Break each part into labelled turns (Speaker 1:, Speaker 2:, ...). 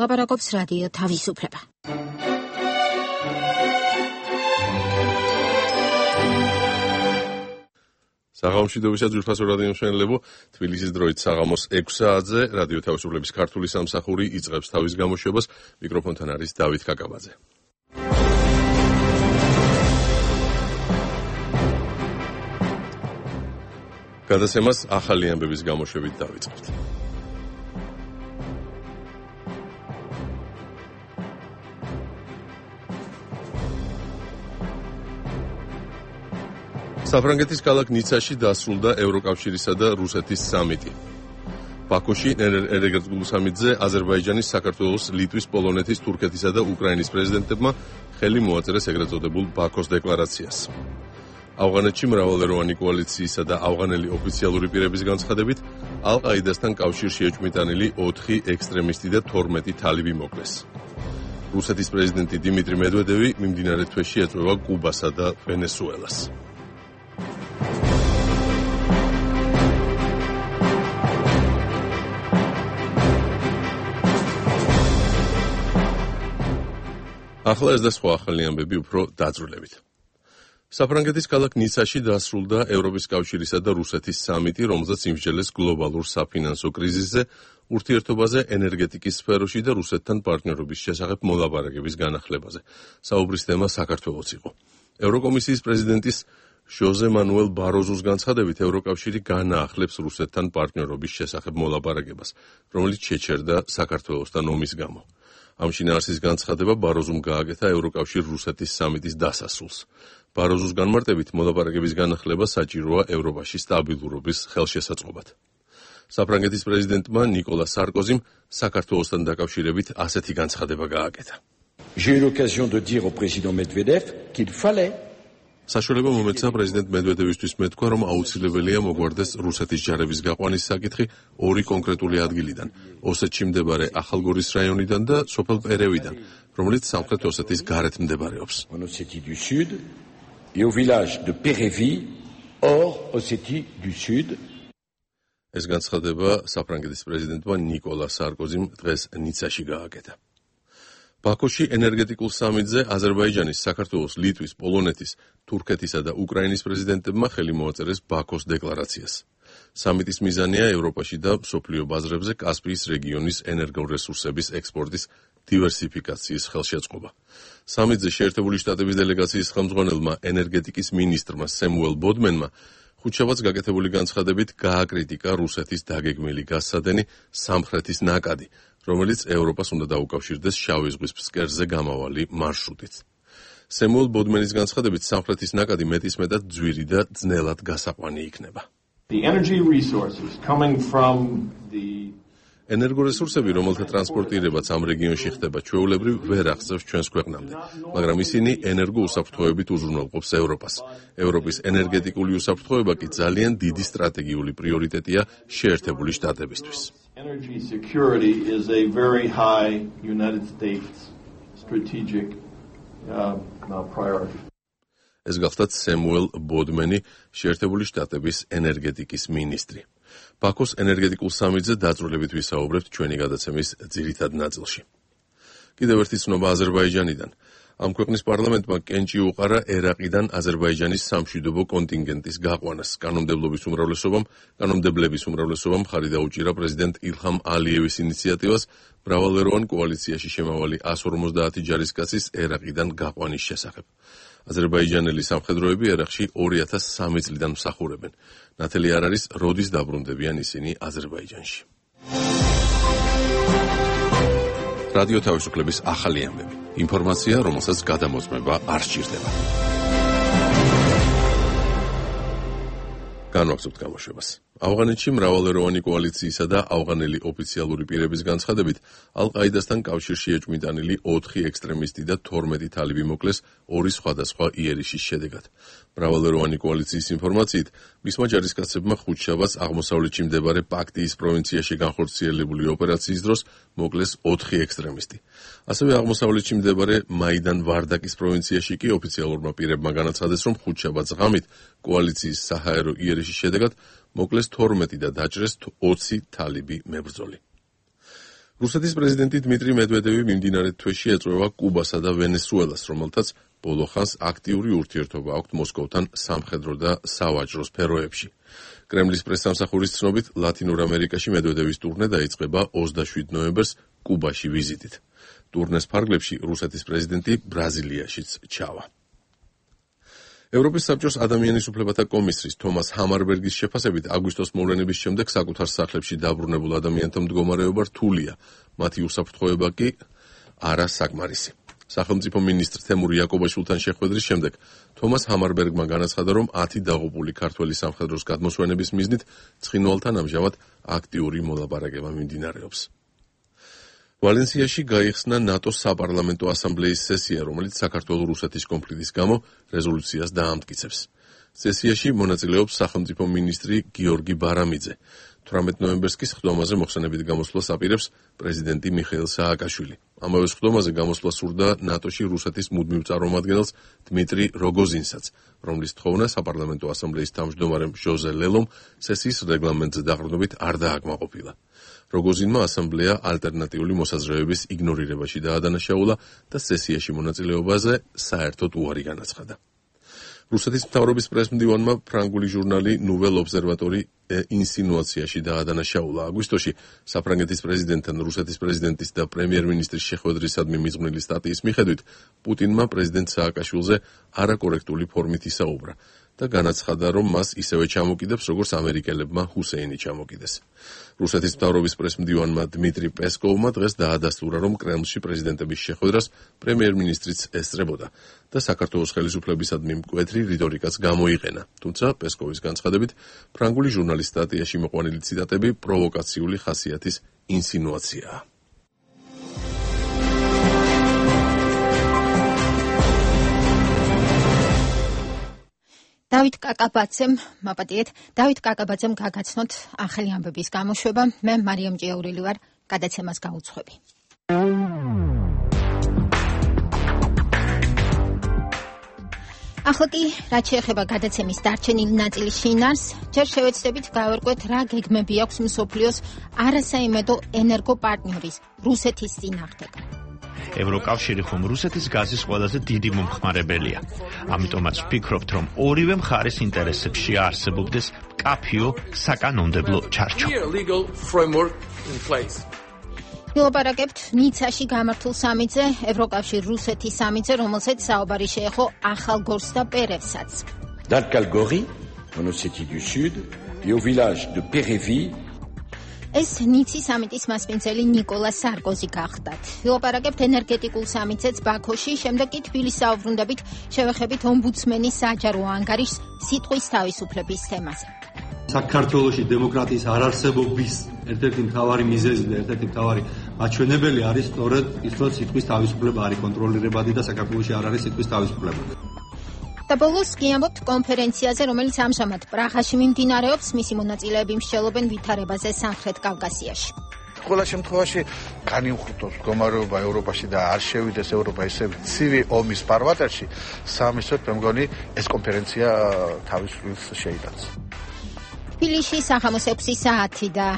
Speaker 1: ლაპარაკობს რადიო თავისუფლება.
Speaker 2: საღამომშვიდობისა ძვირფასო რადიო მშენლებო, თბილისის დროით საღამოს 6 საათზე რადიო თავისუფლების ქართული სამსახური იწყებს თავის გამოშვებას. მიკროფონთან არის დავით კაკაბაძე. გადაცემას ახალი ამბების გამოშვებით დავიწყებთ. საფრანგეთის ქალაქ ნიცაში დასრულდა ევროკავშირისა და რუსეთის სამიტი. ბაქოში ენერგეტიკულ სამიტზე აზერბაიჯანის, საქართველოს, ლიტვის, პოლონეთის, თურქეთისა და უკრაინის პრეზიდენტებმა ხელი მოაწერეს ეგრეთ წოდებულ ბაქოს დეკლარაციას. ავღანეთში მრავალეროვანი კოალიციისა და ავღანელი ოფიციალური პირების განცხადებით, ალ-ყაიდასთან კავშირში ეჭვმიტანილი 4 ექსტრემისტი და 12 თალიბი მოკლეს. რუსეთის პრეზიდენტი დიმიტრი მედვედევი მიმდინარე თვეში ეწვევა კუბასა და ვენესუელას. ახლა ეს და სხვა ახალი ამბები უფრო დაძრულებით. საფრანგეთის ქალაქ ნიცაში დასრულდა ევროპის კავშირისა და რუსეთის სამიტი, რომელზეც იმსჯელეს გლობალურ საფინანსო კრიზისზე, ურთიერთობაზე ენერგეტიკის სფეროში და რუსეთთან პარტნიორობის შესახებ მოლაპარაკების განახლებაზე. საუბრის თემა საქართველოც იყო. ევროკომისიის პრეზიდენტის ჟოზე მანუელ ბაროზუს განცხადებით, ევროკავშირი განაახლებს რუსეთთან პარტნიორობის შესახებ მოლაპარაკებას, რომელიც შეჩერდა საქართველოსთან ომის გამო. ამ შინაარსის განცხადება ბაროზუმ გააკეთა ევროკავშირ-რუსეთის სამიტის დასასრულს. ბაროზუს განმარტებით, მოლაპარაკების განახლება საჭიროა ევროპაში სტაბილურობის ხელშესაწყობად. საფრანგეთის პრეზიდენტმა ნიკოლა სარკოზიმ საქართველოსთან დაკავშირებით ასეთი განცხადება გააკეთა.
Speaker 3: J'ai eu l'occasion de dire au président Medvedev qu'il fallait
Speaker 2: საშუალება მომეცა პრეზიდენტ მედვედევისთვის მეთქვა, რომ აუცილებელია მოგვარდეს რუსეთის ჯარების გაყვანის საკითხი 2 კონკრეტული ადგილიდან, ოსეთში მდებარე ახალგორის რაიონიდან და სოფელ პერევიდან, რომელიც სამხრეთ ოსეთის გარეთ მდებარეობს.
Speaker 3: en Ossétie du Sud et au village de Pérévi, hors Ossétie du Sud.
Speaker 2: ეს განცხადება საფრანგეთის პრეზიდენტმა ნიკოლა სარკოზიმ დღეს ნიცაში გააკეთა. ბაქოში ენერგეტიკულ სამიტზე აზერბაიჯანის, საქართველოს, ლიტვის, პოლონეთის, თურქეთისა და უკრაინის პრეზიდენტებმა ხელი მოაწერეს ბაქოს დეკლარაციას. სამიტის მიზანია ევროპაში და მსოფლიო ბაზრებზე კასპიის რეგიონის ენერგორესურსების ექსპორტის დივერსიფიკაციის ხელშეწყობა. სამიტზე შეერთებული შტატების დელეგაციის ხელმძღვანელმა ენერგეტიკის მინისტრმა სემუელ ბოდმენმა ხუთშაბათს გაკეთებული განცხადებით გააკრიტიკა რუსეთის დაგეგმილი გაზსადენი სამხრეთის ნაკადი, რომელიც ევროპას უნდა დაუკავშირდეს შავი ზღვის ფსკერზე გამავალი მარშრუტით. სემუელ ბოდმენის განცხადებით, სამხრეთის ნაკადი მეტისმეტად ძვირი და ძნელად გასაყვანი იქნება. ენერგორესურსები, რომელთა ტრანსპორტირებაც ამ რეგიონში ხდება ჩვეულებრივ, ვერ აღწევს ჩვენს ქვეყნამდე, მაგრამ ისინი ენერგოუსაფრთხოებით უზრუნველყოფს ევროპას. ევროპის ენერგეტიკული უსაფრთხოება კი ძალიან დიდი სტრატეგიული პრიორიტეტია შეერთებული შტატებისთვის.
Speaker 4: Energy security is a very high United States strategic priority.
Speaker 2: ეს გახლდათ სემუელ ბოდმენი, შეერთებული შტატების ენერგეტიკის მინისტრი. ბაქოს ენერგეტიკულ სამიტზე დაწვრილებით ვისაუბრებთ ჩვენი გადაცემის ძირითად ნაწილში. კიდევ ერთი ცნობა აზერბაიჯანიდან. ამ ქვეყნის პარლამენტმა კენჭი უყარა ერაყიდან აზერბაიჯანის სამშვიდობო კონტინგენტის გაყვანას. კანონმდებლების უმრავლესობამ ხარი დაუჭირა პრეზიდენტ ილჰამ ალიევის ინიციატივას მრავალეროვან კოალიციაში შემავალი 150 ჯარისკაცის ერაყიდან გაყვანის შესახებ. აზერბაიჯანელი სამხედროები ერაყში 2003 წლიდან მსახურებენ. ნათელი არ არის, როდის დაბრუნდებიან ისინი აზერბაიჯანში. რადიო თავისუფლების ახალი ამბები. ინფორმაცია, რომელსაც გადამოწმება არ სჭირდება. განვაგრძობთ გამოშვებას. ავღანეთში მრავალეროვანი კოალიციისა და ავღანელი ოფიციალური პირების განცხადებით, ალ-ყაიდასთან კავშირში ეჭვმიტანილი 4 ექსტრემისტი და 12 თალიბი მოკლეს 2 სხვადასხვა იერიშის შედეგად. მრავალეროვანი კოალიციის ინფორმაციით, მისმა ჯარისკაცებმა ხუთშაბათს აღმოსავლეთში მდებარე პაქტიის პროვინციაში განხორციელებული ოპერაციის დროს მოკლეს 4 ექსტრემისტი. ასევე აღმოსავლეთში მდებარე მაიდან ვარდაკის პროვინციაში კი ოფიციალურმა პირებმა განაცხადეს, რომ ხუთშაბათს ღამით კოალიციის საჰაერო იერიშის შედეგად მოკლეს 12 და დაჭრეს 20 თალიბი მებრძოლი. რუსეთის პრეზიდენტი დმიტრი მედვედევი მიმდინარე თვეში ეწვევა კუბასა და ვენესუელას, რომელთაც ბოლო ხანს აქტიური ურთიერთობა აქვთ მოსკოვთან სამხედრო და სავაჭრო სფეროებში. კრემლის პრესსამსახურის ცნობით, ლათინურ ამერიკაში მედვედევის ტურნე დაიწყება 27 ნოემბერს კუბაში ვიზიტით. ტურნეს ფარგლებში რუსეთის პრეზიდენტი ბრაზილიაშიც ჩავა. ევროპის საბჭოს ადამიანის უფლებათა კომისრის თომას ჰამარბერგის შეფასებით, აგვისტოს მოვლენების შემდეგ საკუთარ სახლებში დაბრუნებულ ადამიანთა მდგომარეობა რთულია, მათი უსაფრთხოება კი არა საკმარისი. სახელმწიფო მინისტრ თემურ იაკობაშვილთან შეხვედრის შემდეგ თომას ჰამარბერგმა განაცხადა, რომ 10 დაღუპული ქართველი სამხედროს გადმოსვენების მიზნით ცხინვალთან ამჟამად აქტიური მოლაპარაკება მიმდინარეობს. ვალენსიაში გაიხსნა ნატოს საპარლამენტო ასამბლეის სესია, რომელიც საქართველო-რუსეთის კონფლიქტის გამო რეზოლუციას დაამტკიცებს. სესიაში მონაწილეობს სახელმწიფო მინისტრი გიორგი ბარამიძე. 18 ნოემბერს კი სხდომაზე მოხსენებით გამოსვლას აპირებს პრეზიდენტი მიხეილ სააკაშვილი. ამავე სხდომაზე გამოსვლა სურდა ნატოში რუსეთის მუდმივ წარმომადგენელს დმიტრი როგოზინსაც, რომლის თხოვნა საპარლამენტო ასამბლეის თავმჯდომარემ ჟოზე ლელომ სესიის რეგლამენტზე დაყრდნობით არ დააკმაყოფილა. როგოზინმა ასამბლეა ალტერნატიული მოსაზრებების იგნორირებაში დაადანაშაულა და სესიაში მონაწილეობაზე საერთოდ უარი განაცხადა. რუსეთის მთავრობის პრესმდივანმა ფრანგული ჟურნალი ნუվել ობსერვატორი ინსინუაციაში დაადანაშაულა. აგვისტოში საფრანგეთის პრეზიდენტთან რუსეთის პრეზიდენტის და პრემიერ-მინისტრის შეხვედრისადმი მიზღვნილი სტატიის მიხედვით, პუტინმა პრეზიდენტ სააკაშვილზე არაკორექტული ფორმით ისაუბრა და განაცხადა, რომ მას ისევე ჩამოკიდებს, როგორც ამერიკელებმა ჰუსეინი ჩამოკიდეს. რუსეთის მთავრობის პრესმდივანმა დმიტრი პესკოვმა დღეს დაადასტურა, რომ კრემლში პრეზიდენტების შეხვედრას პრემიერ-მინისტრიც ესწრებოდა და საქართველოს ხელისუფლებისადმი მკვეთრი რიტორიკაც გამოიყენა. თუმცა პესკოვის განცხადებით, ფრანგული ჟურნალის სტატიაში მოყვანილი ციტატები პროვოკაციული ხასიათის ინსინუაციაა.
Speaker 1: დავით კაკაბაძემ გაგაცნოთ ახალი ამბების გამოშვება. მე მარიამ ჭიაურელი ვარ, გადაცემას გაუძღვები. ახლა კი, რაც შეეხება გადაცემის დარჩენილი ნაწილის შინაარსს, ჯერ შევეცდებით გავერკვეთ, რა გეგმები აქვს მსოფლიოს არასაიმედო ენერგოპარტნიორის რუსეთის წინააღმდეგ.
Speaker 5: ევროკავშირი ხომ რუსეთის გაზის ყველაზე დიდი მომხმარებელია. ამიტომაც ვფიქრობთ, რომ ორივე მხარის ინტერესებში არსებობდეს მკაფიო საკანონმდებლო ჩარჩო.
Speaker 1: ვილაპარაკებთ ნიცაში გამართულ სამიტზე, ევროკავშირ რუსეთის სამიტზე, რომელსაც საუბარი შეეხო ახალგორს და პერევსაც.
Speaker 3: Dans le Calgary, en Ossétie du Sud, et au village de Pérévy,
Speaker 1: ეს ნიცის სამიტის მასპინძელი ნიკოლა სარკოზი გახდათ. ვილაპარაკებთ ენერგეტიკულ სამიტზეც ბაქოში, შემდეგ კი თბილისს აუბრუნდებით, შევეხებით ომბუდსმენის საჯარო ანგარიშს სიტყვის თავისუფლების თემაზე.
Speaker 6: საქართველოში დემოკრატიის არარსებობის ერთ-ერთი მთავარი მიზეზი და ერთ-ერთი მთავარი მაჩვენებელი არის სწორედ ის, რომ სიტყვის თავისუფლება არის კონტროლირებადი და საქართველოში არ არის სიტყვის თავისუფლება.
Speaker 1: და ბოლოს კი ამბობთ კონფერენციაზე, რომელიც ამჟამად პრაღაში მიმდინარეობს, მისი მონაწილეები მსჯელობენ ვითარებაზე სამხრეთ კავკასიაში.
Speaker 7: ყველა შემთხვევაში განიმხრთოს მდგომარეობა ევროპაში და არ შევიდეს ევროპა ისე ცივი ომის ფარვატერში, სამისოთ მე მგონი ეს კონფერენცია თავის როლს შეიტანს.
Speaker 1: თბილისში სახამოს 6 საათი და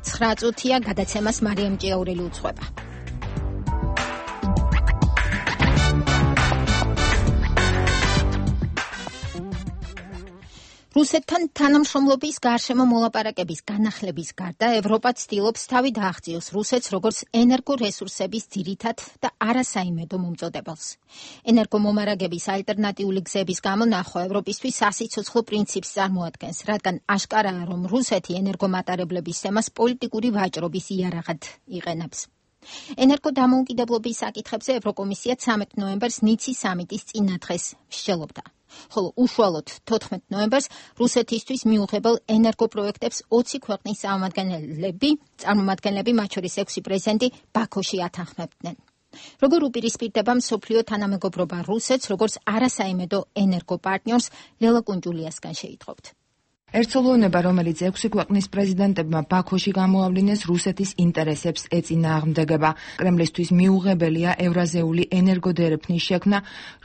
Speaker 1: 9 წუთია, გადაცემას მარიამ ჭიაურელი უძღვება. რუსეთთან თანამშრომლობის გარშემო მოლაპარაკების განახლების გარდა ევროპა ცდილობს თავი დააღწიოს რუსეთს როგორც ენერგორესურსების ძირითად და არასაიმედო მომწოდებელს. ენერგომომარაგების ალტერნატიული გზების გამონახვა ევროპისთვის სასიცოცხლო პრინციპს წარმოადგენს, რადგან აშკარაა, რომ რუსეთი ენერგომატარებლების თემას პოლიტიკური ვაჭრობის იარაღად იყენებს. ენერგოდამოუკიდებლობის საკითხებზე ევროკომისია 13 ნოემბერს ნიცის სამიტის წინადღეს მსჯელობდა. ხოლო უშუალოდ 14 ნოემბერს რუსეთისთვის მიუღებელ ენერგოპროექტებს 20 ქვეყნის წარმომადგენლები, მათ შორის 6 პრეზიდენტი ბაქოში ათანხმებდნენ. როგორ უპირისპირდება მსოფლიო თანამეგობრობა რუსეთს, როგორც არასაიმედო ენერგოპარტნიორს, ლელა კუნჯულიასგან შეიტყობთ.
Speaker 8: ერთსოლოვნება, რომელიც 6 ქვეყნის პრეზიდენტებმა ბაქოში გამოავლინეს, რუსეთის ინტერესებს ეწინააღმდეგება. კრემლისთვის მიუღებელია ევრაზიული ენერგოდერეფნის შექმნა,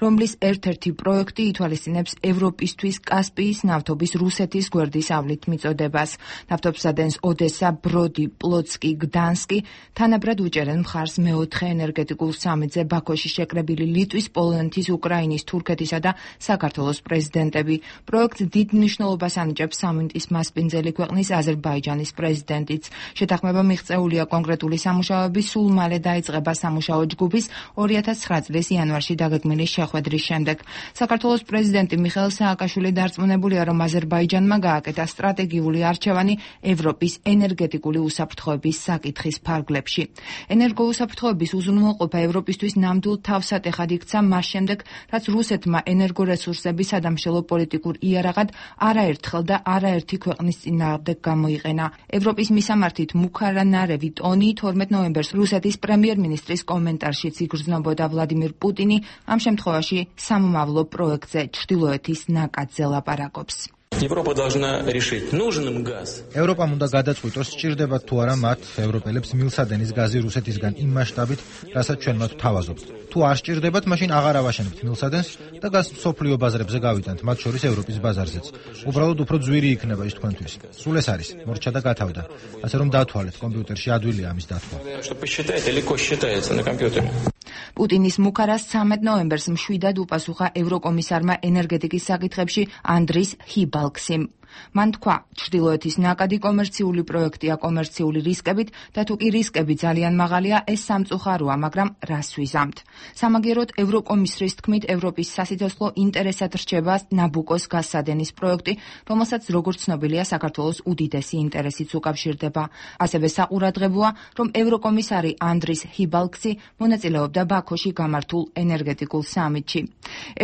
Speaker 8: რომლის ერთ-ერთი პროექტი ითვალისწინებს ევროპისთვის კასპიის ნავთობის რუსეთის გვერდის ავლით მიწოდებას. ნავთობსადენს ოდესა, ბროდი, პლოცკი, გდანსკი თანაბრად უჭერენ მხარს მეოთხე ენერგეტიკულ სამიტზე ბაქოში შეკრებილი ლიტვის, პოლონეთის, უკრაინის, თურქეთისა და საქართველოს პრეზიდენტები. პროექტს დიდ მნიშვნელობას ანიჭებს სამიტის მასპინძელი ქვეყნის აზერბაიჯანის პრეზიდენტიც. შეთანხმება მიღწეულია კონკრეტული სამუშაოების სულ მალე დაიწყება სამუშაო ჯგუფის 2009 წლის იანვარში დაგეგმილი შეხვედრის შემდეგ. საქართველოს პრეზიდენტი მიხეილ სააკაშვილი დარწმუნებულია, რომ აზერბაიჯანმა გააკეთა სტრატეგიული არჩევანი ევროპის ენერგეტიკული უსაფრთხოების საკითხის ფარგლებში. ენერგოუსაფრთხოების უზრუნველყოფა ევროპისთვის ნამდვილ თავსატეხად იქცა მას შემდეგ, რაც რუსეთმა ენერგორესურსების სადამშრალო პოლიტიკურ იარაღად არაერთხელ და არაერთი ქვეყნის წინააღმდეგ გამოიყენა. ევროპის მისამართით მუქარანარევი ტონი 12 ნოემბერს რუსეთის პრემიერ-მინისტრის კომენტარშიც იგრძნობოდა ვლადიმირ პუტინი ამ შემთხვევაში სამომავლო პროექტზე ჩრდილოეთის ნაკადზე ლაპარაკობს.
Speaker 9: ევროპამ უნდა გადაწყვიტოს, სჭირდებათ თუ არა მათ ევროპელებს მილსადენის გაზი რუსეთისგან იმ მასშტაბით, რასაც ჩვენ მათ ვთავაზობთ. თუ არ სჭირდებათ, მაშინ აღარ ავაშენებთ მილსადენს და გაზს მსოფლიო ბაზრებზე გავიტანთ, მათ შორის ევროპის ბაზარზეც. უბრალოდ უფრო ძვირი იქნება ის თქვენთვის. სულ ეს არის, მორჩა და გათავდა. ასე რომ დავთვალეთ, კომპიუტერში ადვილია ამის დათქვა.
Speaker 8: პუტინის მუქარას 13 ნოემბერს მშვიდად უპასუხა ევროკომისარმა ენერგეტიკის საკითხებში ანდრის ჰიბალქსიმ. მან თქვა, ჩრდილოეთის ნაკადი კომერციული პროექტია კომერციული რისკებით და თუ კი რისკები ძალიან მაღალია, ეს სამწუხაროა, მაგრამ რას ვიზამთ. სამაგიეროდ ევროკომისრის თქმით, ევროპის სასიცოცხლო ინტერესად რჩება ნაბუკოს გაზსადენის პროექტი, რომელსაც როგორც ცნობილია, საქართველოს უდიდესი ინტერესიც უკავშირდება. ასევე საყურადღებოა, რომ ევროკომისარი ანდრის ჰიბალქსი მონაწილეობდა ბაქოში გამართულ ენერგეტიკულ სამიტში.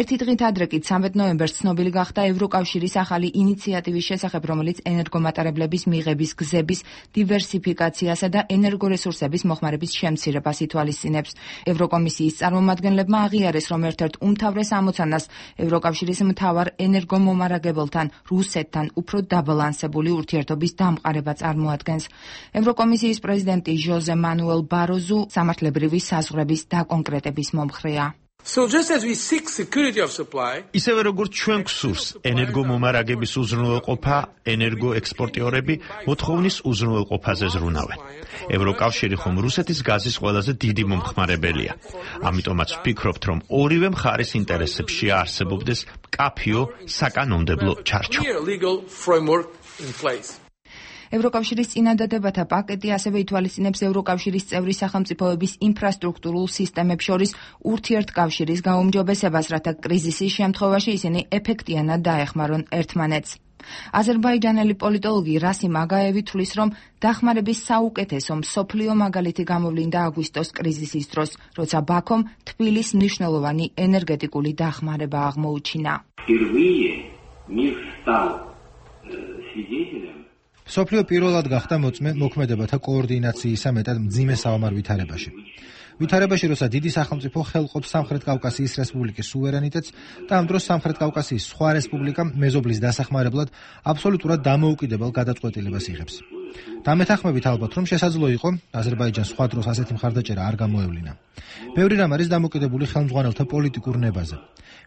Speaker 8: ერთი დღით ადრე კი 13 ნოემბერს ცნობილი გახდა ევროკავშირის ახალი ინიციატივის შესახებ, რომელიც ენერგომატარებლების მიღების გზების დივერსიფიკაციასა და ენერგორესურსების მოხმარების შემცირებას ითვალისწინებს. ევროკომისიის წარმომადგენლებმა აღიარეს, რომ ერთ-ერთ უმთავრეს ამოცანას ევროკავშირის მთავარ ენერგომომარაგებელთან, რუსეთთან უფრო დაბალანსებული ურთიერთობის დამყარება წარმოადგენს. ევროკომისიის პრეზიდენტი ჟოზე მანუელ ბაროზუ სამართლებრივი საზღვრების დაკონკრეტების მომხრეა.
Speaker 5: ისევე როგორც ჩვენ გვსურს ენერგომომარაგების უზრუნველყოფა, ენერგოექსპორტიორები მოთხოვნის უზრუნველყოფაზე ზრუნავენ. ევროკავშირი ხომ რუსეთის გაზის ყველაზე დიდი მომხმარებელია. ამიტომაც ვფიქრობთ, რომ ორივე მხარის ინტერესებში არსებობდეს მკაფიო საკანონმდებლო ჩარჩო.
Speaker 8: ევროკავშირის წინადადებათა პაკეტი ასევე ითვალისწინებს ევროკავშირის წევრი სახელმწიფოების ინფრასტრუქტურულ სისტემებს შორის ურთიერთკავშირის გაუმჯობესებას, რათა კრიზისის შემთხვევაში ისინი ეფექტიანად დაეხმარონ ერთმანეთს. აზერბაიჯანელი პოლიტოლოგი რასიმ აგაევი თვლის, რომ დახმარების საუკეთესო მსოფლიო მაგალითი გამოვლინდა აგვისტოს კრიზისის დროს, როცა ბაქომ თბილის მნიშვნელოვანი ენერგეტიკული დახმარება აღმოუჩინა.
Speaker 9: მსოფლიო პირველად გახდა მოწმე მოქმედებათა კოორდინაციისა მეტად მძიმე საომარ ვითარებაში. ვითარებაში, როცა დიდი სახელმწიფო ხელყოფს სამხრეთ კავკასიის რესპუბლიკის სუვერენიტეტს და ამ დროს სამხრეთ კავკასიის სხვა რესპუბლიკა მეზობლის დასახმარებლად აბსოლუტურად დამოუკიდებელ გადაწყვეტილებას იღებს. დამეთანხმებით ალბათ, რომ შესაძლო იყო აზერბაიჯანს სხვა დროს ასეთი მხარდაჭერა არ გამოევლინა. ბევრი რამ არის დამოკიდებული ხელმძღვანელთა პოლიტიკურ ნებაზე.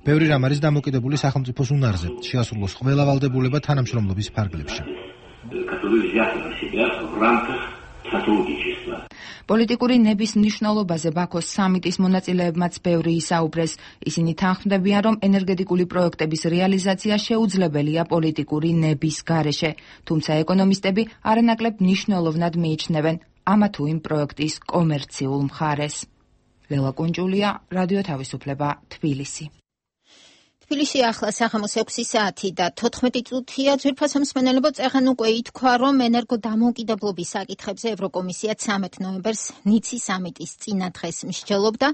Speaker 9: ბევრი რამ არის დამოკიდებული სახელმწიფოს უნარზე, შეასრულოს ყველა ვალდებულება თანამშრომლობის ფარგლებში.
Speaker 8: პოლიტიკური ნების მნიშვნელობაზე ბაქოს სამიტის მონაწილეებმაც ბევრი ისაუბრეს. ისინი თანხმდებიან, რომ ენერგეტიკული პროექტების რეალიზაცია შეუძლებელია პოლიტიკური ნების გარეშე, თუმცა ეკონომისტები არანაკლებ მნიშვნელოვნად მიიჩნევენ ამა თუ იმ პროექტის კომერციულ მხარეს. ლელა კუნჯულია, რადიო თავისუფლება, თბილისი.
Speaker 1: თბილისში ახლა საღამოს 6 საათი და 14 წუთია. ძვირფასო მსმენელებო, წეღან უკვე ითქვა, რომ ენერგოდამოუკიდებლობის საკითხებზე ევროკომისია 13 ნოემბერს ნიცის სამიტის წინა დღეს მსჯელობდა.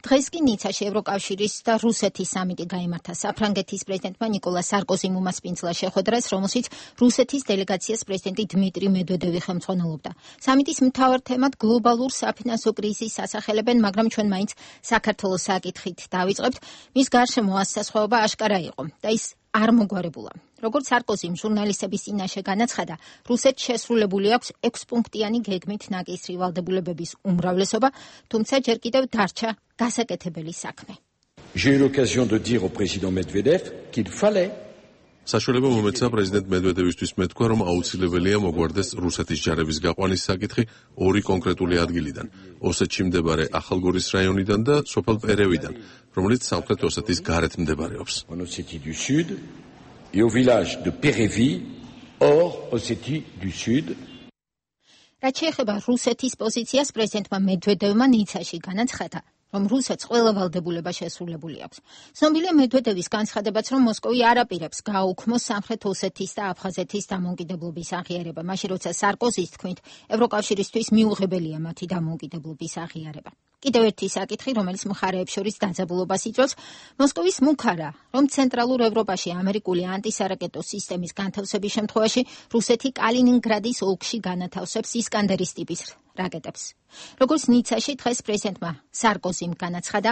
Speaker 1: დღეს კი ნიცაში ევროკავშირის და რუსეთის სამიტი გაიმართა. საფრანგეთის პრეზიდენტმა ნიკოლა სარკოზიმ უმასპინძლა შეხვედრას, რომელშიც რუსეთის დელეგაციას პრეზიდენტი დმიტრი მედვედევი ხელმძღვანელობდა. სამიტის მთავარ თემად გლობალურ საფინანსო კრიზისს ასახელებენ, მაგრამ ჩვენ მაინც საქართველოს საკითხით დავიწყებთ. მის გარშემო ასასხვაობა აშკარა იყო და ის არ მოგვარებულა. როგორც სარკოზიმ ჟურნალისტების წინაშე განაცხადა, რუსეთს შესრულებული აქვს 6-პუნქტიანი გეგმით ნაკისრი ვალდებულებების უმრავლესობა, თუმცა ჯერ კიდევ დარჩა გასაკეთებელი საქმე.
Speaker 3: J'ai eu l'occasion de dire au président Medvedev qu'il fallait
Speaker 2: საშუალება მომეცა პრეზიდენტ მედვედევისთვის მეთქვა, რომ აუცილებელია მოგვარდეს რუსეთის ჯარების გაყვანის საკითხი ორი კონკრეტული ადგილიდან, ოსეთში მდებარე ახალგორის რაიონიდან და სოფელ პერევიდან, რომელიც სამხრეთ ოსეთის გარეთ მდებარეობს.
Speaker 3: en Ossétie du Sud et au village de Pérévi, hors Ossétie du Sud.
Speaker 1: რაც შეეხება რუსეთის პოზიციას, პრეზიდენტმა მედვედევმა ნიცაში განაცხადა, რომ რუსეთს ყველა ვალდებულება შესრულებული აქვს. ცნობილია მედვედევის განცხადებაც, რომ მოსკოვი არ აპირებს გააუქმოს სამხრეთ ოსეთის და აფხაზეთის დამოუკიდებლობის აღიარება, მაშინ როცა სარკოზის თქმით, ევროკავშირისთვის მიუღებელია მათი დამოუკიდებლობის აღიარება. კიდევ ერთი საკითხი, რომელიც მხარეებს შორის დაძაბულობას იწვევს, მოსკოვის მუქარა, რომ ცენტრალურ ევროპაში ამერიკული ანტისარაკეტო სისტემის განთავსების შემთხვევაში რუსეთი კალინინგრადის ოლქში განათავსებს ისკანდერის ტიპის რაკეტებს. როგორც ნიცაში დღეს პრეზიდენტმა სარკოზიმ განაცხადა,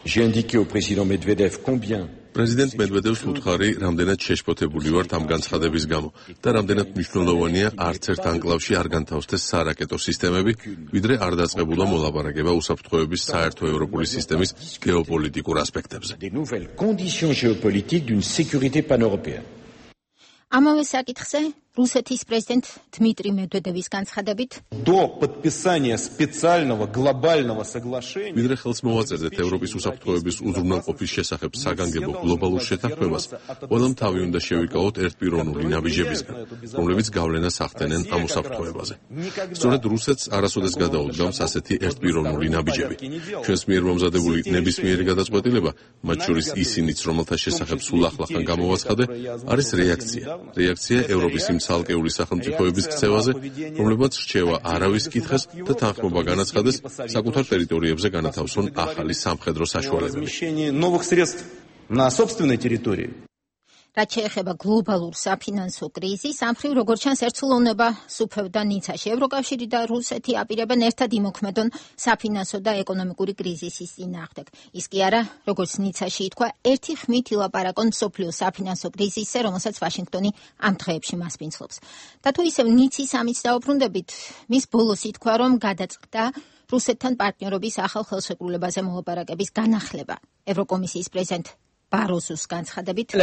Speaker 3: J'ai indiqué au président Medvedev combien
Speaker 2: პრეზიდენტ მედვედევს უთხარი, რამდენად შეშფოთებული ვართ ამ განცხადების გამო და რამდენად მნიშვნელოვანია არც ერთ ანკლავში არ განთავსდეს სარაკეტო სისტემები, ვიდრე არ დაწყებულა მოლაპარაკება უსაფრთხოების საერთო ევროპული სისტემის გეოპოლიტიკურ ასპექტებზე.
Speaker 3: des nouvelles conditions géopolitiques d'une sécurité pan-européenne.
Speaker 1: ამავე საკითხზე რუსეთის პრეზიდენტ დმიტრი მედვედევის განცხადებით,
Speaker 10: до подписания специального глобального соглашения
Speaker 2: ვიდრე ხელს მოვაწერდეთ ევროპის უსაფრთხოების უზრუნველყოფის შესახებ საგანგებო გლობალურ შეთანხმებას, ყველამ თავი უნდა შევიკავოთ ერთპიროვნული ნაბიჯებისგან, რომლებიც გავლენას ახდენენ ამ უსაფრთხოებაზე. სწორედ რუსეთს არასოდეს გადაუდგამს ასეთი ერთპიროვნული ნაბიჯები. ჩვენს მიერ მომზადებული ნებისმიერი გადაწყვეტილება, მათ შორის ისინიც, რომელთა შესახებ სულ ახლახან გამოვაცხადე, არის რეაქცია ევროპის იმ ცალკეული სახელმწიფოების ქცევაზე, რომლებმაც რჩევა არავის კითხეს და თანხმობა განაცხადეს საკუთარ ტერიტორიებზე განათავსონ ახალი სამხედრო საშუალებები.
Speaker 10: новых средств на собственной территории.
Speaker 1: რაც შეეხება გლობალურ საფინანსო კრიზისს, ამ მხრივ როგორც ჩანს ერთსულოვნება სუფევდა ნიცაში. ევროკავშირი და რუსეთი აპირებენ ერთად იმოქმედონ საფინანსო და ეკონომიკური კრიზისის წინააღმდეგ. ის კი არა, როგორც ნიცაში ითქვა, ერთი ხმით ილაპარაკონ მსოფლიო საფინანსო კრიზისზე, რომელსაც ვაშინგტონი ამ დღეებში მასპინძლობს. და თუ ისევ ნიცის ამით დაუბრუნდებით, მის ბოლოს ითქვა, რომ გადაწყდა რუსეთთან პარტნიორობის ახალ ხელშეკრულებაზე მოლაპარაკების განახლება. ევროკომისიის პრეზიდენტ ბაროზოს განცხადებით,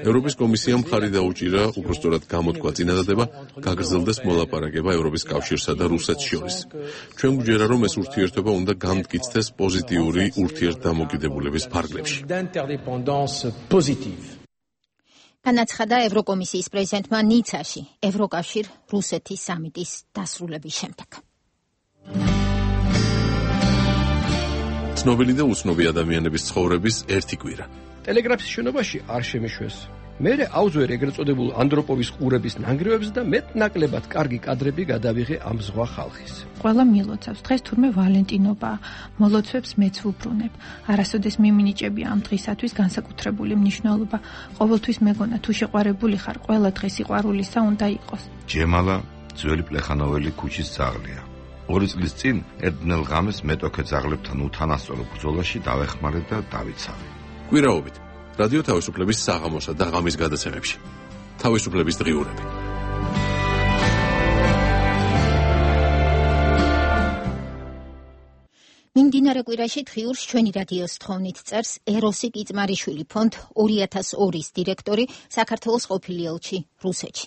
Speaker 2: ევროპის კომისიამ მხარი დაუჭირა, უпростоრად გამოთქვა წინადადება, გაგრძელდეს მოლაპარაკება ევროპის კავშირსა და რუსეთს შორის. ჩვენ გვჯერა, რომ ეს ურთიერთობა უნდა განმტკიცდეს პოზიტიური ურთიერთდამოკიდებულების ფარგლებში.
Speaker 1: განაცხადა ევროკომისიის პრეზიდენტმა ნიცაში ევროკავშირ-რუსეთის სამიტის დასრულების შემდეგ.
Speaker 2: ცნობილი და უცნობი ადამიანების ცხოვრების ერთი კვირა.
Speaker 11: ტელეგრაფის შენობაში არ შემეშვეს. მერე აუძვერ ეგრეთ წოდებულ ანდროპოვის ყურების ნანგრევებს და მეტ-ნაკლებად კარგი კადრები გადავიღე ამ ზღვა ხალხის.
Speaker 12: ყველა მილოცავს, დღეს თურმე ვალენტინობა, მოლოცვებს მეც ვუბრუნებ. არასოდეს მიმინიჭები ამ დღისათვის განსაკუთრებული მნიშვნელობა. ყოველთვის მეგონა, თუ შეყვარებული ხარ, ყველა დღე სიყვარულისა უნდა იყოს.
Speaker 13: ჯემალა ძველი პლეხანოველი ქუჩის ძაღლია. 2 წლის წინ ერთნელ ღამეს მეტოქე ძაღლებთან უთანასწორო ბრძოლაში დავეხმარე და დავიცავე.
Speaker 2: კვირაობით რადიო თავისუფლების საღამოსა და ღამის გადაცემებში. თავისუფლების დღიურები.
Speaker 1: მიმდინარე კვირაში დღიურს ჩვენი რადიოს თხოვნით წერს ეროსი კიწმარიშვილი, ფონდ 2002-ის დირექტორი, საქართველოს ყოფილი ელჩი რუსეთში.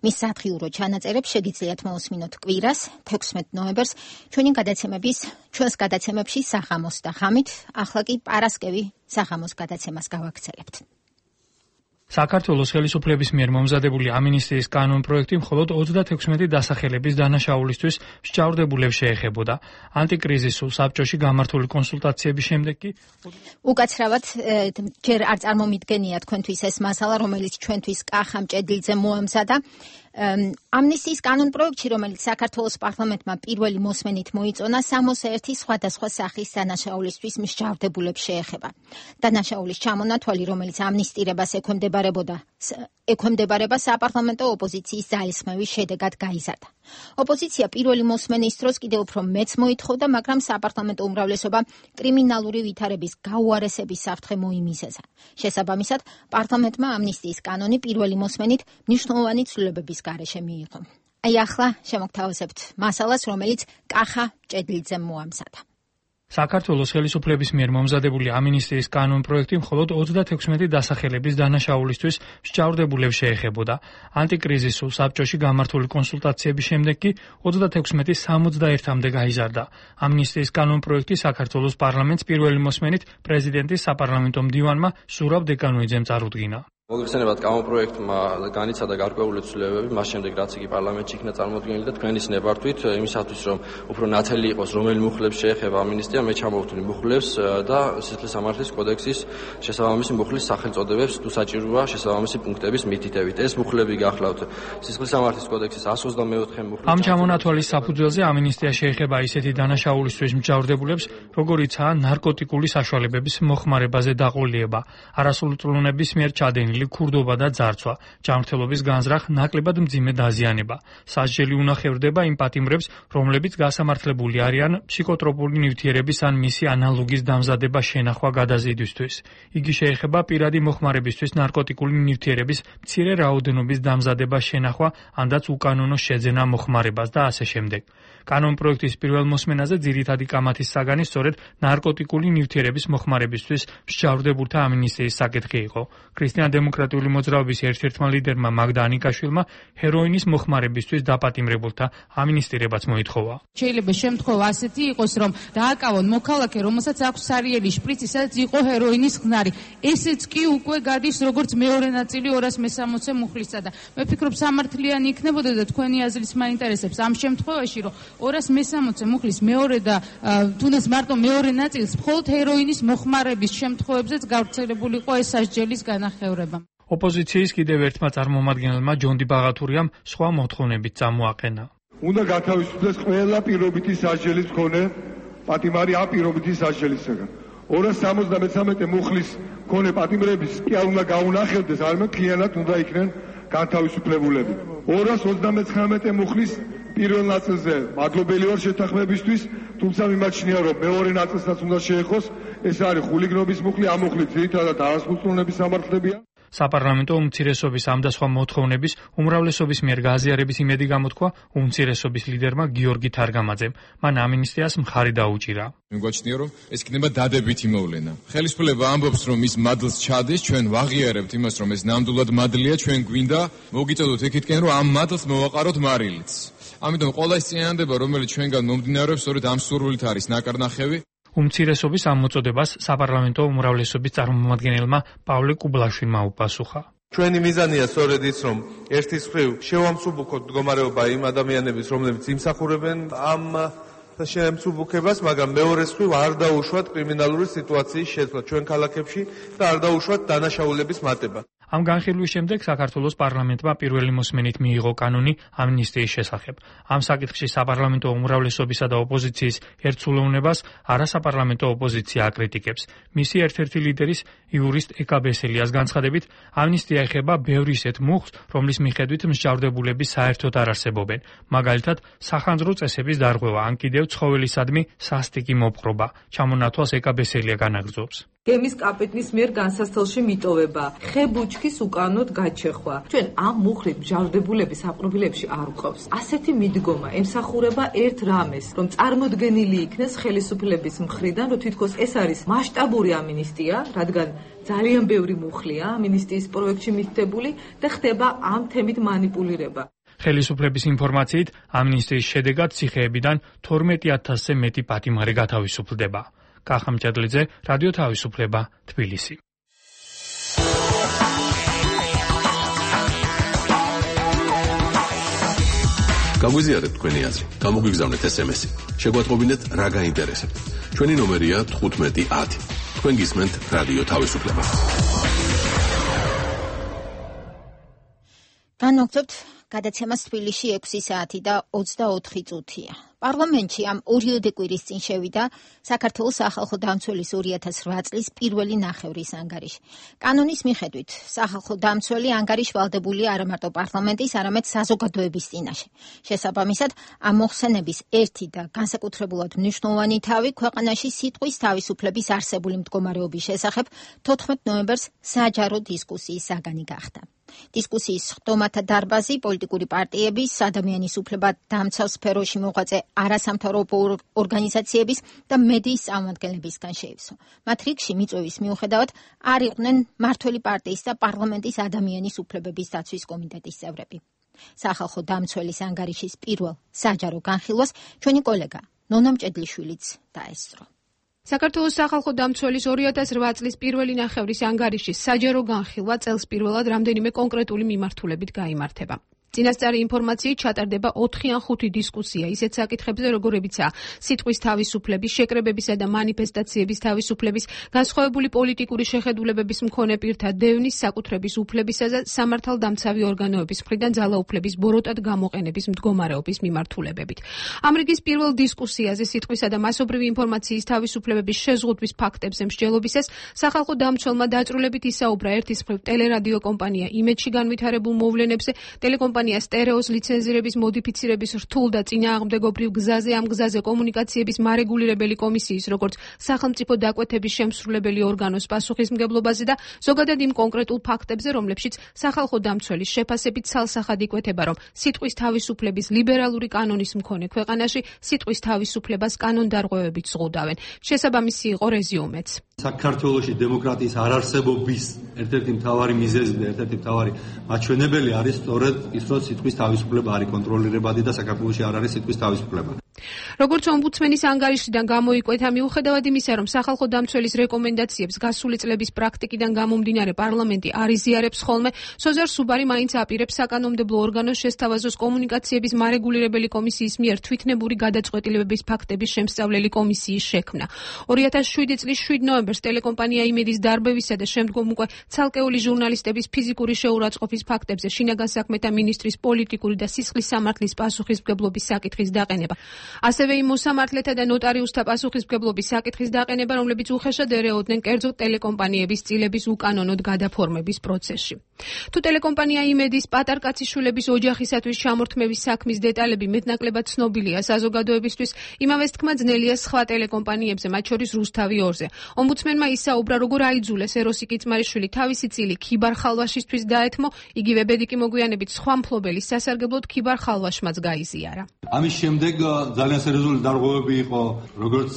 Speaker 1: მის სათხიურო ჩანაწერებს შეგიძლიათ მოусმინოთ კვირას 16 ნოემბერს ჩვენს გადაცემებში საღამოს და ღამით, ახლა კი პარასკევი საღამოს გადაცემას გავაგრძელებთ.
Speaker 14: საქართველოს ხელისუფლების მიერ მომზადებული ამინისტიის კანონპროექტი მხოლოდ 36 დასახელების დანაშაულისთვის მსჯავრდებულებს შეეხებოდა. ანტიკრიზისულ საბჭოში გამართული კონსულტაციების შემდეგ კი
Speaker 1: უკაცრავად ჯერ არ წარმომიდგენია თქვენთვის ეს მასალა, რომელიც ჩვენთვის კახა მჭედლიძე მოამზადა. ამნისტიის კანონპროექტში, რომელიც საქართველოს პარლამენტმა პირველი მოსმენით მოიწონა, 61 სხვადასხვა სახის დანაშაულისთვის მსჯავრდებულებს შეეხება. დანაშაულის ჩამონათვალი, რომელიც ამნისტირებას ექვემდებარება საპარლამენტო ოპოზიციის ძალისხმევის შედეგად გაიზარდა. ოპოზიცია პირველი მოსმენის დროს კიდევ უფრო მეც მოითხოვდა, მაგრამ საპარლამენტო უმრავლესობა კრიმინალური ვითარების გაუარესების საფრთხე მოიმისეცა. შესაბამისად, პარლამენტმა ამნისტიის კანონი პირველი მოსმენით მნიშვნელოვანი ცვლილებების გარეშე მიიღო. აი ახლა შემოგთავაზებთ მასალას, რომელიც კახა ჭედლიძემ მოამზადა.
Speaker 14: საქართველოს ხელისუფლების მიერ მომზადებული ამინისტიის კანონპროექტი მხოლოდ 36 დასახელების დანაშაულისთვის მსჯავრდებულებს შეეხებოდა. ანტიკრიზისულ საბჭოში გამართული კონსულტაციების შემდეგ კი 36-61-მდე გაიზარდა. ამინისტიის კანონპროექტი საქართველოს პარლამენტს პირველი მოსმენით პრეზიდენტის საპარლამენტო მდივანმა სურაბ დეკანოიძემ წარუდგინა.
Speaker 15: მოგეხსენებათ, კანონპროექტმა განიცადა გარკვეული ცვლილებები, მას შემდეგ რაც იგი პარლამენტში იქნა წარმოდგენილი და თქვენი ნებართვით იმისათვის, რომ უფრო ნათელი იყოს, რომელი მუხლებს შეეხება ამინისტია, მე ჩამოვთვლი მუხლებს და სისხლისამართლის კოდექსის შესაბამისი მუხლის სახელწოდებებს თუ საჭიროა შესაბამისი პუნქტების მითითებით. ეს მუხლები გახლავთ სისხლისამართლის კოდექსის 124 მუხლი.
Speaker 14: ამ ჩამონათვალის საფუძველზე ამინისტია შეეხება ისეთი დანაშაულისთვის მსჯავრდებულებს, როგორიცაა ნარკოტიკული საშუალებების მოხმარებაზე დაყოლიება, არასრულწლოვნების მიერ ჩადენილი ქურდობა და ძარცვა, ჯანმრთელობის განზრახ, ნაკლებად მძიმე დაზიანება. სასჯელი უნახევრდება იმ პატიმრებს, რომლებიც გასამართლებული არიან ფსიქოტროპული ნივთიერების ან მისი ანალოგის დამზადება შენახვა გადაზიდვისთვის. იგი შეეხება პირადი მოხმარებისთვის ნარკოტიკული ნივთიერების მცირე რაოდენობის დამზადება შენახვა, ანდაც უკანონო შეძენა მოხმარებას და ასე შემდეგ. კანონპროექტის პირველ მოსმენაზე ძირითადი კამათის საგანი სწორედ ნარკოტიკული ნივთიერების მოხმარებისთვის მსჯავრდებულთა ამინისტიის საკითხი იყო. ქრისტიან-დემოკრატიული მოძრაობის ერთ-ერთმა ლიდერმა მაგდა ანიკაშვილმა ჰეროინის მოხმარებისთვის დაპატიმრებულთა ამინისტირებაც მოითხოვა.
Speaker 16: შეიძლება შემთხვევა ასეთი იყოს, რომ დააკავონ მოქალაქე, რომელსაც აქვს სარიელი შპრიცი, სადაც იყო ჰეროინის ხნარი. ესეც კი უკვე გადის როგორც მეორე ნაწილი 260 მუხლისა და მე ვფიქრობ, სამართლიანი იქნებოდა და თქვენი აზრის მაინტერესებს ამ შემთხვევაში, რომ 260 მუხლის მეორე და თუნდაც მარტო მეორე ნაწილს მხოლოდ ჰეროინის მოხმარების შემთხვევებზეც გავრცელებულიყო ეს სასჯელის განახევრება.
Speaker 14: ოპოზიციის კიდევ ერთმა წარმომადგენელმა ჯონდი ბაღათურიამ სხვა მოთხოვნებით წამოაყენა.
Speaker 17: უნდა გათავისუფლდეს ყველა პირობითი სასჯელის მქონე პატიმარი ამ პირობითი სასჯელისაგან. 273 მუხლის მქონე პატიმრების კი არ უნდა გაუნახებდეს, არამედ მთლიანად უნდა იქნენ განთავისუფლებულები. 239 მუხლის პირველ ნაწილზე მადლობელი ვარ შეთანხმებისთვის, თუმცა მიმაჩნია, რომ მეორე ნაწილსაც უნდა შეეხოს. ეს არის ხულიგნობის მუხლი, ამ მუხლით ძირითადად არასრულწლოვნების სამართლებია.
Speaker 14: საპარლამენტო უმცირესობის ამ და სხვა მოთხოვნების უმრავლესობის მიერ გააზიარების იმედი გამოთქვა უმცირესობის ლიდერმა გიორგი თარგამაძემ. მან ამინისტიას მხარი დაუჭირა.
Speaker 18: მიგვაჩნია, რომ ეს იქნება დადებითი მოვლენა. ხელისუფლება ამბობს, რომ ის მადლს ჩადის, ჩვენ ვაღიარებთ იმას, რომ ეს ნამდვილად მადლია, ჩვენ გვინდა მოგიწოდოთ იქითკენ, რომ ამ მადლს მოვაყაროთ მარილიც. ამიტომ ყველა ის წინადადება, რომელიც ჩვენგან მომდინარეობს, სწორედ ამ სურვილით არის ნაკარნახევი.
Speaker 14: უმცირესობის ამ მოწოდებას საპარლამენტო უმრავლესობის წარმომადგენელმა პავლე კუბლაშვილმა უპასუხა.
Speaker 19: ჩვენი მიზანია სწორედ ის, რომ ერთის მხრივ შევამსუბუქოთ მდგომარეობა იმ ადამიანების, რომლებიც იმსახურებენ ამ შემსუბუქებას, მაგრამ მეორეს მხრივ არ დაუშვათ კრიმინალური სიტუაციის შეცვლა ჩვენ ქალაქებში და არ დაუშვათ დანაშაულების მატება.
Speaker 14: ამ განხილვის შემდეგ საქართველოს პარლამენტმა პირველი მოსმენით მიიღო კანონი ამინისტიის შესახებ. ამ საკითხში საპარლამენტო უმრავლესობისა და ოპოზიციის ერთსულოვნებას არასაპარლამენტო ოპოზიცია აკრიტიკებს. მისი ერთ-ერთი ლიდერის იურისტ ეკა ბესელიას განცხადებით, ამინისტია ეხება ბევრ ისეთ მუხლს, რომლის მიხედვით მსჯავრდებულები საერთოდ არ არსებობენ. მაგალითად, სახანძრო წესების დარღვევა, ან კიდევ ცხოველისადმი სასტიკი მოპყრობა. ჩამონათვალს ეკა ბესელია განაგრძობს.
Speaker 20: გემის კაპიტნის მიერ განსასწელში მიტოვება, ხებუჩქის უკანოდ გაჩეხვა. ჩვენ ამ მუხლით მსჯავრდებულების აპრობილებში არ ვყავს. ასეთი მიდგომა ემსახურება ერთ რამეს, რომ წარმოდგენილი იქნეს ხელისუფლების მხრიდან, რომ თითქოს ეს არის მასშტაბური ამინისტია, რადგან ძალიან ბევრი მუხლია ამინისტიის პროექტში მითითებული და ხდება ამ თემით მანიპულირება.
Speaker 14: ხელისუფლების ინფორმაციით, ამინისტიის შედეგად ციხეებიდან 12,000-ზე მეტი პატიმარი გათავისუფლდება. კახა ჭედლიძე, რადიო თავისუფლება, თბილისი.
Speaker 2: გაგვიზიარეთ თქვენი აზრი, გამოგვიგზავნეთ SMS-ი. შეგვატყობინეთ რა გაინტერესებთ. ჩვენი ნომერია 1510. თქვენ გისმენთ რადიო თავისუფლება.
Speaker 1: განვაგრძობთ გადაცემას თბილისში 6 საათი და 24 წუთია. პარლამენტში ამ ორიოდე კვირის წინ შევიდა საქართველოს სახალხო დამცველის 2008 წლის პირველი ნახევრის ანგარიში. კანონის მიხედვით სახალხო დამცველი ანგარიში ვალდებულია არა მარტო პარლამენტის, არამედ საზოგადოების წინაშე. შესაბამისად, ამ მოხსენების ერთი და განსაკუთრებულად მნიშვნელოვანი თავი ქვეყანაში სიტყვის თავისუფლების არსებული მდგომარეობის შესახებ 14 ნოემბერს საჯარო დისკუსიის საგანი გახდა. დისკუსიის ხდომათა დარბაზი პოლიტიკური პარტიების, ადამიანის უფლება დამცავ სფეროში მოღვაწე არასამთავრობო ორგანიზაციების და მედიის წარმომადგენლებისგან შეივსო. მათ რიგში მიწვევის მიუხედავად არ იყვნენ მმართველი პარტიის და პარლამენტის ადამიანის უფლებების დაცვის კომიტეტის წევრები. სახალხო დამცველის ანგარიშის პირველ საჯარო განხილვას ჩვენი კოლეგა ნონა მჭედლიშვილიც დაესწრო.
Speaker 21: საქართველოს სახალხო დამცველის 2008 წლის პირველი ნახევრის ანგარიშის საჯარო განხილვა წელს პირველად რამდენიმე კონკრეტული მიმართულებით გაიმართება. წინასწარი ინფორმაციით ჩატარდება 4 ან 5 დისკუსია ისეთ საკითხებზე, როგორებიცაა სიტყვის თავისუფლების, შეკრებებისა და მანიფესტაციების თავისუფლების, განსხვავებული პოლიტიკური შეხედულებების მქონე პირთა დევნის, საკუთრების უფლებისა და სამართალდამცავი ორგანოების მხრიდან ძალაუფლების ბოროტად გამოყენების მდგომარეობის მიმართულებებით. ამ რიგის პირველ დისკუსიაზე სიტყვისა და მასობრივი ინფორმაციის თავისუფლების შეზღუდვის ფაქტებზე მსჯელობისას სახალხო დამცველმა დაწვრილებით ისაუბრა ერთის მხრივ ტელერადიო კომპანია იმედში განვითარებულ მოვლენებზე, ტელეკომპანია სტერეოს ლიცენზირების მოდიფიცირების რთულ და წინააღმდეგობრივ გზაზე, ამ გზაზე კომუნიკაციების მარეგულირებელი კომისიის, როგორც სახელმწიფო დაკვეთების შემსრულებელი ორგანოს პასუხისმგებლობაზე და ზოგადად იმ კონკრეტულ ფაქტებზე, რომლებშიც სახალხო დამცველის შეფასებით ცალსახად იკვეთება, რომ სიტყვის თავისუფლების ლიბერალური კანონის მქონე ქვეყანაში სიტყვის თავისუფლებას კანონდარღვევებით ზღუდავენ. შესაბამისი იყო რეზიუმეც.
Speaker 6: საქართველოში დემოკრატიის არარსებობის ერთ-ერთი მთავარი მიზეზი და ერთ-ერთი მთავარი მაჩვენებელი არის სწორედ ის, რომ სიტყვის თავისუფლება არის კონტროლირებადი და საქართველოში არ არის სიტყვის თავისუფლება.
Speaker 21: როგორც ომბუდსმენის ანგარიშიდან გამოიკვეთა, მიუხედავად იმისა, რომ სახალხო დამცველის რეკომენდაციებს გასული წლების პრაქტიკიდან გამომდინარე პარლამენტი არ იზიარებს ხოლმე, სოზარ სუბარი მაინც აპირებს საკანონმდებლო ორგანოს შესთავაზოს კომუნიკაციების მარეგულირებელი კომისიის მიერ თვითნებური გადაწყვეტილებების ფაქტების შემსწავლელი კომისიის შექმნა. 2007 წლის 7 ნოემბერს ტელეკომპანია იმედის დარბევისა და შემდგომ უკვე ცალკეული ჟურნალისტების ფიზიკური შეურაცხყოფის ფაქტებზე შინაგან საქმეთა მინისტრის პოლიტიკური და სისხლის სამართლის პასუხისმგებლობის საკითხის დაყენება. ასევე იმ მოსამართლეთა და ნოტარიუსთა პასუხისმგებლობის საკითხის დაყენება, რომლებიც უხეშად ერეოდნენ კერძო ტელეკომპანიების წილების უკანონოდ გადაფორმების პროცესში. თუ ტელეკომპანია იმედის პატარკაციშვილების ოჯახისათვის ჩამორთმევის საქმის დეტალები მეტნაკლებად ცნობილია საზოგადოებისთვის, იმავეს თქმა ძნელია სხვა ტელეკომპანიებზე, მათ შორის რუსთავი 2-ზე. ომბუდსმენმა ისაუბრა, როგორ აიძულეს ეროსი კიწმარიშვილი თავისი წილი ქიბარ ხალვაშისთვის დაეთმო, იგივე ბედიკი მოგვიანებით სხვა მფლობელის სასარგებლოდ ქიბარ ხალვაშმაც გაიზიარა.
Speaker 6: ამის შემდეგ ძალიან სერიოზული დარღვევები იყო როგორც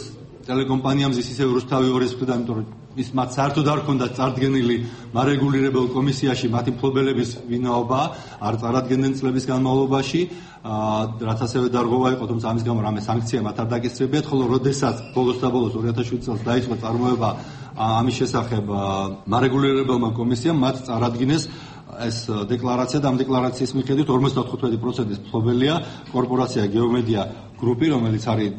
Speaker 6: ტელეკომპანიამზის, ისე რუსთავი 2-ის მხრიდან, იმიტომ რომ ის მათ საერთოდ არ ჰქონდათ წარდგენილი მარეგულირებელ კომისიაში მათი მფლობელების ვინაობა, არ წარადგენდნენ წლების განმავლობაში, რაც ასევე დარღვევა იყო, თუმცა ამის გამო რამე სანქცია მათ არ დაკისრებიათ, ხოლო როდესაც ბოლოს 2007 წელს დაიწყო წარმოება ამის შესახებ მარეგულირებელმა კომისიამ, მათ წარადგინეს ეს დეკლარაცია და ამ დეკლარაციის მიხედვით 55% მფლობელია კორპორაცია გეომედია გრუპი, რომელიც არის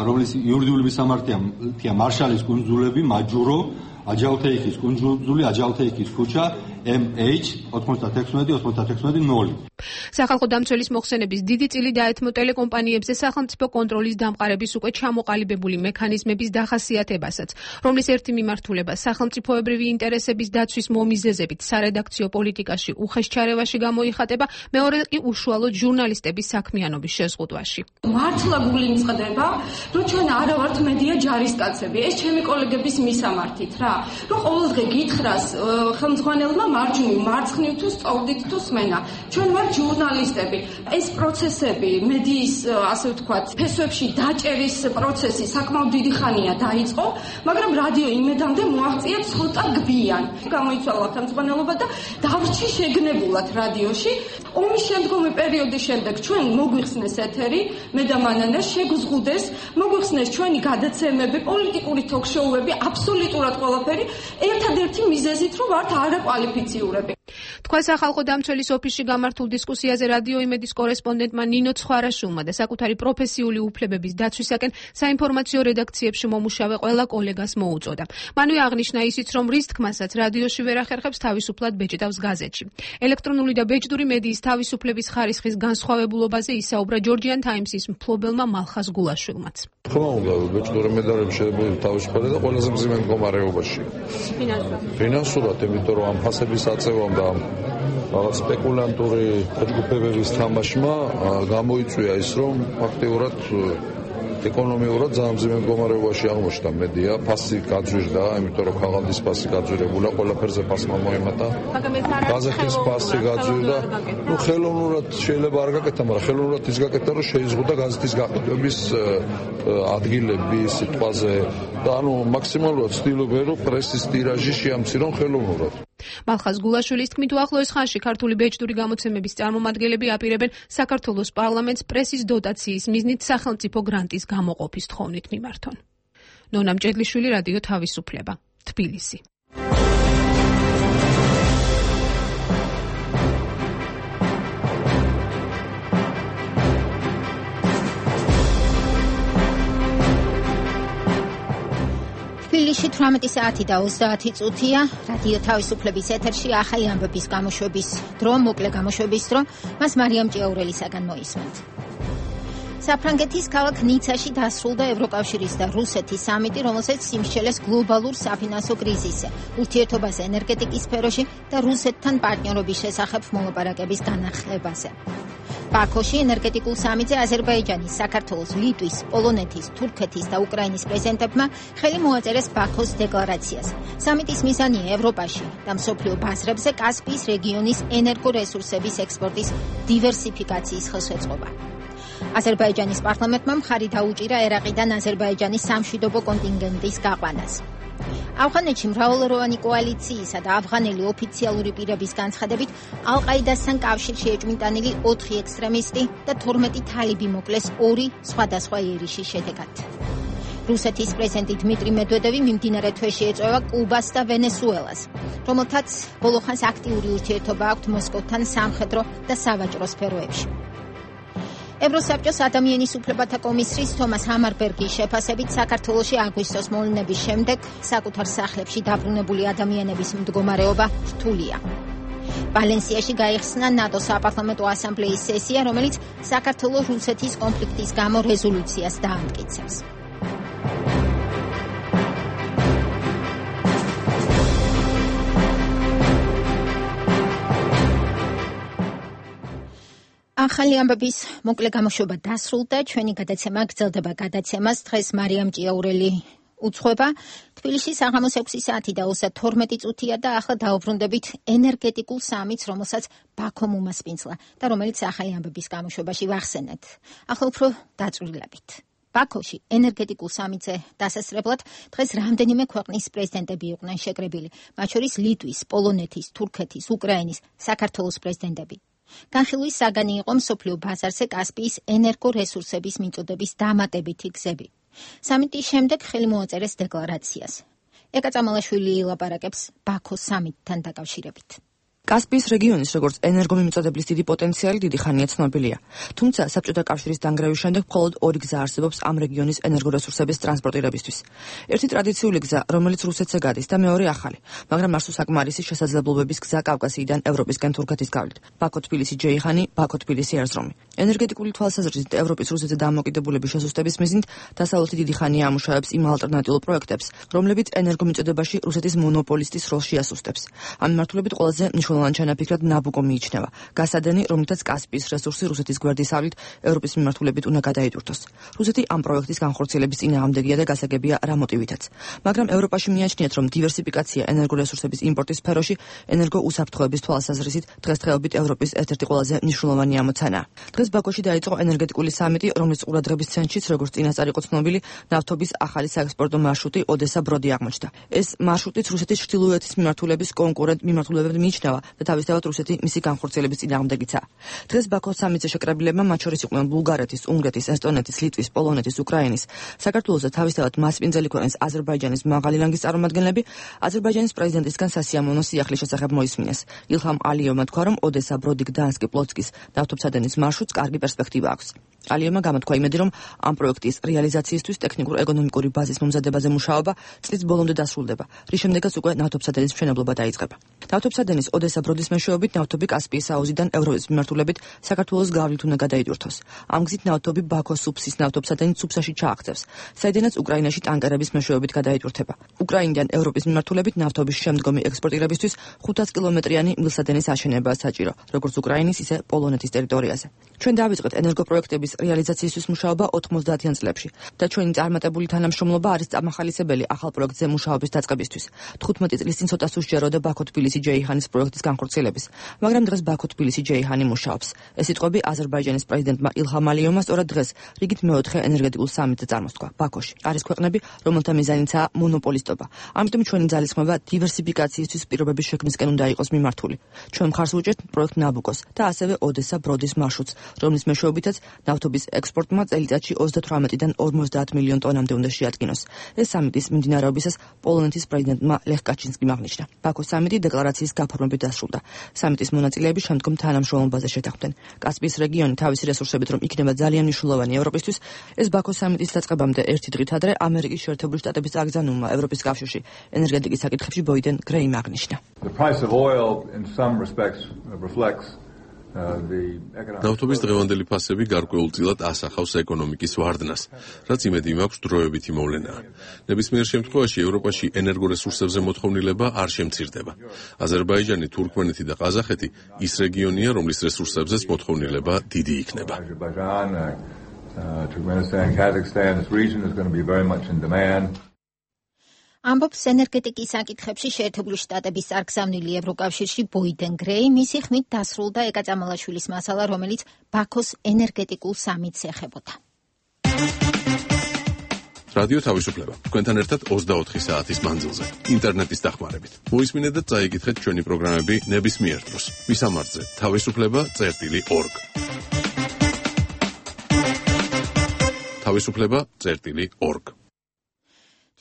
Speaker 6: რომლის იურიდიული მისამართია მარშალის კუნძულები, მაჯურო, აჯალთეიქის კუნძული, აჯალთეიქის ქუჩა, MH 96-96-0.
Speaker 21: სახალხო დამცველის მოხსენების დიდი წილი დაეთმო ტელეკომპანიებზე სახელმწიფო კონტროლის დამყარების უკვე ჩამოყალიბებული მექანიზმების დახასიათებასაც, რომლის ერთი მიმართულება სახელმწიფოებრივი ინტერესების დაცვის მომიზეზებით სარედაქციო პოლიტიკაში უხეშ ჩარევაში გამოიხატება, მეორე კი უშუალოდ ჟურნალისტების საქმიანობის შეზღუდვაში.
Speaker 22: მართლა გულიმწყდება, რომ ჩვენ არა ვართ მედია ჯარისკაცები, ეს ჩემი კოლეგების მისამართით რა, რომ ყოველდღე გითხრას ხელმძღვანელმა მარცხნივ თუ სწორდით თუ სმენა. ჩვენ ვართ ჟურნალისტები. ეს პროცესები, მედიის, ასე ვთქვათ, ფესვებში დაჭერის პროცესი საკმაოდ დიდი ხანია დაიწყო, მაგრამ რადიო იმედამდე მოაღწია ცოტა გვიან. გამოიცვალა ხელმძღვანელობა და დავრჩი შეგნებულად რადიოში. ომის შემდგომი პერიოდის შემდეგ ჩვენ მოგვიხსნეს ეთერი, მე და მანანა შეგვზღუდეს, მოგვიხსნეს ჩვენი გადაცემები, პოლიტიკური თოქ-შოუები, აბსოლუტურად ყველაფერი, ერთადერთი მიზეზით, რომ ვართ არაკვალიფიციურები.
Speaker 21: თქვა სახალხო დამცველის ოფისში გამართულ დისკუსიაზე რადიო იმედის კორესპონდენტმა ნინო ცხარაშვილმა და საკუთარი პროფესიული უფლებების დაცვისაკენ საინფორმაციო რედაქციებში მომუშავე ყველა კოლეგას მოუწოდა. მანვე აღნიშნა ისიც, რომ რის თქმასაც რადიოში ვერ ახერხებს თავისუფლად ბეჭდავს გაზეთში. ელექტრონული და ბეჭდური მედიის თავისუფლების ხარისხის განსხვავებულობაზე ისაუბრა Georgian Times-ის მფლობელმა მალხაზ გულაშვილმაც.
Speaker 4: თქმა უნდა, ბეჭდური მედიარები შეიძლება თავისუფალი და ყველაზე მძიმე მდგომარეობაში. ფინანსურად, იმიტომ რომ ამ ფასების აწევამ და რაღაც სპეკულანტური ჯგუფებების თამაშმა გამოიწვია ის, რომ ფაქტიურად ეკონომიურად ძალიან მძიმე მდგომარეობაში აღმოჩნდა მედია, ფასი გაძვირდა, იმიტომ რომ ქაღალდის ფასი გაძვირებულა, ყველაფერზე ფასმა მოემატა. გაზეთის ფასი გაძვირდა. ნუ ხელოვნურად შეიძლება არ გაკეთა, მაგრამ ხელოვნურად ის გაკეთა, რომ შეიზღუდა გაზეთის გაყიდვების ადგილები სიტყვაზე და ანუ მაქსიმალურად ცდილობენ, რომ პრესის ტირაჟი შეამცირონ ხელოვნურად.
Speaker 21: მალხაზ გულაშვილის თქმით, უახლოეს ხანში ქართული ბეჭდური გამოცემების წარმომადგენლები აპირებენ საქართველოს პარლამენტს პრესის დოტაციის მიზნით სახელმწიფო გრანტის გამოყოფის თხოვნით მიმართონ. ნონა მჭედლიშვილი, რადიო თავისუფლება, თბილისი.
Speaker 1: თბილისში 18 საათი და 30 წუთია. რადიო თავისუფლების ეთერში ახალი ამბების გამოშვების დრო, მოკლე გამოშვების დრო. მას მარიამ ჭიაურელისაგან მოისმენთ. საფრანგეთის ქალაქ ნიცაში დასრულდა ევროკავშირის და რუსეთის სამიტი, რომელსაც სიმსჯელეს გლობალურ საფინანსო კრიზისზე, ურთიერთობაზე ენერგეტიკის სფეროში და რუსეთთან პარტნიორობის შესახებ მოლაპარაკების განახლებაზე. ბაქოში ენერგეტიკულ სამიტზე აზერბაიჯანის, საქართველოს, ლიტვის, პოლონეთის, თურქეთის და უკრაინის პრეზიდენტებმა ხელი მოაწერეს ბაქოს დეკლარაციას. სამიტის მიზანია ევროპაში და მსოფლიო ბაზრებზე კასპიის რეგიონის ენერგორესურსების ექსპორტის დივერსიფიკაციის ხელშეწყობა. აზერბაიჯანის პარლამენტმა მხარი დაუჭირა ერაყიდან აზერბაიჯანის სამშვიდობო კონტინგენტის გაყვანას. ავღანეთში მრავალროვანი კოალიციისა და ავღანელი ოფიციალური პირების განცხადებით ალ-ყაიდასთან კავშირში ეჭვმიტანილი 4 ექსტრემისტი და 12 თალიბი მოკლეს 2 სხვადასხვა იერიშის შედეგად. რუსეთის პრეზიდენტი დმიტრი მედვედევი მიმდინარე თვეში ეწევა კუბას და ვენესუელას, რომელთაც ბოლოხანს აქტიური ურთიერთობა აქვთ მოსკოვთან სამხედრო და სავაჭრო სფეროებში. ევროსაბჭოს ადამიანის უფლებათა კომისრის თომას ჰამარბერგის შეფასებით საქართველოში აგვისტოს მოვლენების შემდეგ საკუთარ სახლებში დაბრუნებული ადამიანების მდგომარეობა რთულია. ვალენსიაში გაიხსნა ნატოს საპარლამენტო ასამბლეის სესია, რომელიც საქართველოს-რუსეთის კონფლიქტის გამო რეზოლუციას დაამტკიცებს. ახალი ამბების მოკლე გამოშვება დასრულდა. ჩვენი გადაცემა გრძელდება გადაცემას. დღეს მარიამ ჭიაურელი უცხოება. თბილისში საღამოს 6 საათი და 32 წუთია და ახლა დაუბრუნდებით ენერგეტიკულ სამიტს, რომელსაც ბაქომ უმასპინძლა და რომელიც ახალი ამბების გამოშვებაში ვახსენეთ. ახლა უფრო დაწვრილებით. ბაქოში ენერგეტიკულ სამიტზე დასასრებლად დღეს რამდენიმე ქვეყნის პრეზიდენტები იყვნენ შეკრებილი, მათ შორის ლიტვის, პოლონეთის, თურქეთის, უკრაინის, საქართველოს პრეზიდენტები. განხილვის საგანი იყო მსოფლიო ბაზარზე კასპიის ენერგორესურსების მიწოდების დამატებითი გზები. სამიტის შემდეგ ხელი მოაწერეს დეკლარაციას. ეკა წამალაშვილი ელაპარაკებს ბაქოს სამიტთან დაკავშირებით.
Speaker 7: კასპიის რეგიონის როგორც ენერგომიმწოდებლის დიდი პოტენციალი დიდი ხანია ცნობილია. თუმცა საბჭოთა კავშირის დანგრევის შემდეგ მხოლოდ 2 გზა არსებობს ამ რეგიონის ენერგორესურსების ტრანსპორტირებისთვის. ერთი ტრადიციული გზა, რომელიც რუსეთზე გადის და მეორე ახალი, მაგრამ არსო საკმარისი შესაძლებლობების გზა კავკასიიდან ევროპისკენ თურქეთის გავლით. ბაქო-თბილისი-ჯეიჰანი, ბაქო-თბილისი-ერზრომი. ენერგეტიკული თვალსაზრისით ევროპის რუსეთზე დამოკიდებულების შესუსტების მიზნით დასავლეთი დიდი ხანია ამუშავებს იმ ალტერნატიულ პროექტებს, რომლებიც ენერგომიწოდებაში რუსეთის მონოპოლისტის როლს შეასუსტებს. ამ მიმართულებით ყველაზე მნიშვნელოვანი ჩანაფიქრად ნაბუკო მიიჩნევა. გასადენი, რომლითაც კასპიის რესურსი რუსეთის გვერდისავლით ევროპის მიმართულებით უნდა გადაიტვირთოს. რუსეთი ამ პროექტის განხორციელების წინააღმდეგია და გასაგებია რა მოტივითაც. მაგრამ ევროპაში მიაჩნიათ, რომ დივერსიფიკაცია ენერგორესურსების იმპორტის სფეროში ენერგოუსაფრთხოების თვალსაზრისით დღესდღეობით ევროპის ერთ-ერთი ყველაზე მნიშვნელოვანი ამოცანაა. დღეს ბაქოში დაიწყო ენერგეტიკული სამიტი, რომლის ყურადღების ცენტრშიც, როგორც წინასწარ იყო ცნობილი, ნავთობის ახალი საექსპორტო მარშრუტი ოდესა-ბროდი აღმოჩნდა. ეს მარშრუტიც რუსეთის ჩრდილოეთის მიმართულების კონკურენტ მიმართულებად მიიჩნევა და თავისთავად რუსეთი მისი განხორციელების წინააღმდეგიცაა. დღეს ბაქოს სამიტზე შეკრებილებმა მათ შორის იყვნენ ბულგარეთის, უნგრეთის, ესტონეთის, ლიტვის, პოლონეთის, უკრაინის, საქართველოს და თავისთავად მასპინძელი ქვეყნის აზერბაიჯანის მაღალი რანგის წარმომადგენლები აზერბაიჯანის პრეზიდენტისგან სასიამოვნო სიახლის შესახებ მოისმინეს. ილჰამ ალიევმა თქვა, რომ ოდესა, ბროდი, გდანსკი, პლოცკის ნავთობსადენის მარშრუტს კარგი პერსპექტივა აქვს. ალიევმა გამოთქვა იმედი, რომ ამ პროექტის რეალიზაციისთვის ტექნიკურ-ეკონომიკური ბაზის მომზადებაზე მუშაობა წლის ბოლომდე დასრულდება, რის შემდეგაც უკვე ნავთობსადენის მშენებლობა დაიწყება. ნავთობსადენის ოდესა ბროდის მეშვეობით ნავთობი კასპიის აუზიდან ევროპის მიმართულებით საქართველოს გავლით უნდა გადაიდურთოს. ამ გზით ნავთობი ბაქოს სუფსის ნავთობსადენის სუფსაში ჩააღწევს, საიდანაც უკრაინაში ტანკერების მეშვეობით გადაიდურთება. უკრაინიდან ევროპის მიმართულებით ნავთობის შემდგომი ექსპორტირებისთვის 500 კილომეტრიანი მილსადენის აშენებაა საჭირო, როგორც უკრაინის, ისე პოლონეთის ტერიტორიაზე. ჩვენ დავიწყეთ ენერგოპროექტების რეალიზაციისთვის მუშაობა 90-იან წლებში და ჩვენი წარმატებული თანამშრომლობა არის წამახალისებელი ახალ პროექტზე მუშაობის დაწყებისთვის. 15 წლის წინ ცოტა სუსჯეროდა ბაქო-თბილისი-ჯეიჰანის პროექტის განხორციელების, მაგრამ დღეს ბაქო-თბილისი-ჯეიჰანი მუშაობს. ეს სიტყვები აზერბაიჯანის პრეზიდენტმა ილჰამ ალიევმა სწორად დღეს რიგით მეოთხე ენერგეტიკულ სამიტზე წარმოსთქვა. ბაქოში არის ქვეყნები, რომელთა მიზანიცაა მონოპოლისტობა. ამიტომ ჩვენი ძალისხმევა დივერსიფიკაციისთვის პირობების შექმნისკენ უნდა იყოს მიმართული. ჩვენ მხარს ვუჭერთ პროექტ ნაბუკოს და ასევე ოდესა ბროდის მარშრუტს, რომლის მეშვეობითაც ნავთობის ექსპორტმა წელიწადში 38-დან 50 მილიონ ტონამდე უნდა შეადგინოს. ეს სამიტის მიმდინარეობისას პოლონეთის პრეზიდენტმა ლეხ კაჩინსკიმ აღნიშნა. ბაქოს სამიტი დეკლარაციის გაფორმებით დასრულდა. სამიტის მონაწილეები შემდგომ თანამშრომლობაზე შეთანხმდნენ. კასპიის რეგიონი თავისი რესურსებით რომ იქნება ძალიან მნიშვნელოვანი ევროპისთვის, ეს ბაქოს სამიტის დაწყებამდე ერთი დღით ადრე ამერიკის შეერთებული შტატების წაგზავნულმა ევროპის კავშირში ენერგეტიკის საკითხებში ბოიდენ გრეიმ აღნიშნა.
Speaker 2: ნავთობის დღევანდელი ფასები გარკვეულწილად ასახავს ეკონომიკის ვარდნას, რაც იმედი მაქვს დროებითი მოვლენაა. ნებისმიერ შემთხვევაში ევროპაში ენერგორესურსებზე მოთხოვნილება არ შემცირდება. აზერბაიჯანი, თურქმენეთი და ყაზახეთი ის რეგიონია, რომლის რესურსებზეც მოთხოვნილება დიდი იქნება.
Speaker 1: ამბობს ენერგეტიკის საკითხებში შეერთებული შტატების წარგზავნილი ევროკავშირში ბოიდენ გრეი, მისი ხმით დასრულდა ეკა წამალაშვილის მასალა, რომელიც ბაქოს ენერგეტიკულ სამიტს ეხებოდა.
Speaker 2: რადიო თავისუფლება. თქვენთან ერთად 24 საათის მანძილზე, ინტერნეტის დახმარებით. მოისმინეთ და წაიკითხეთ ჩვენი პროგრამები ნებისმიერ დროს. მისამართზე თავისუფლება.org. თავისუფლება.org.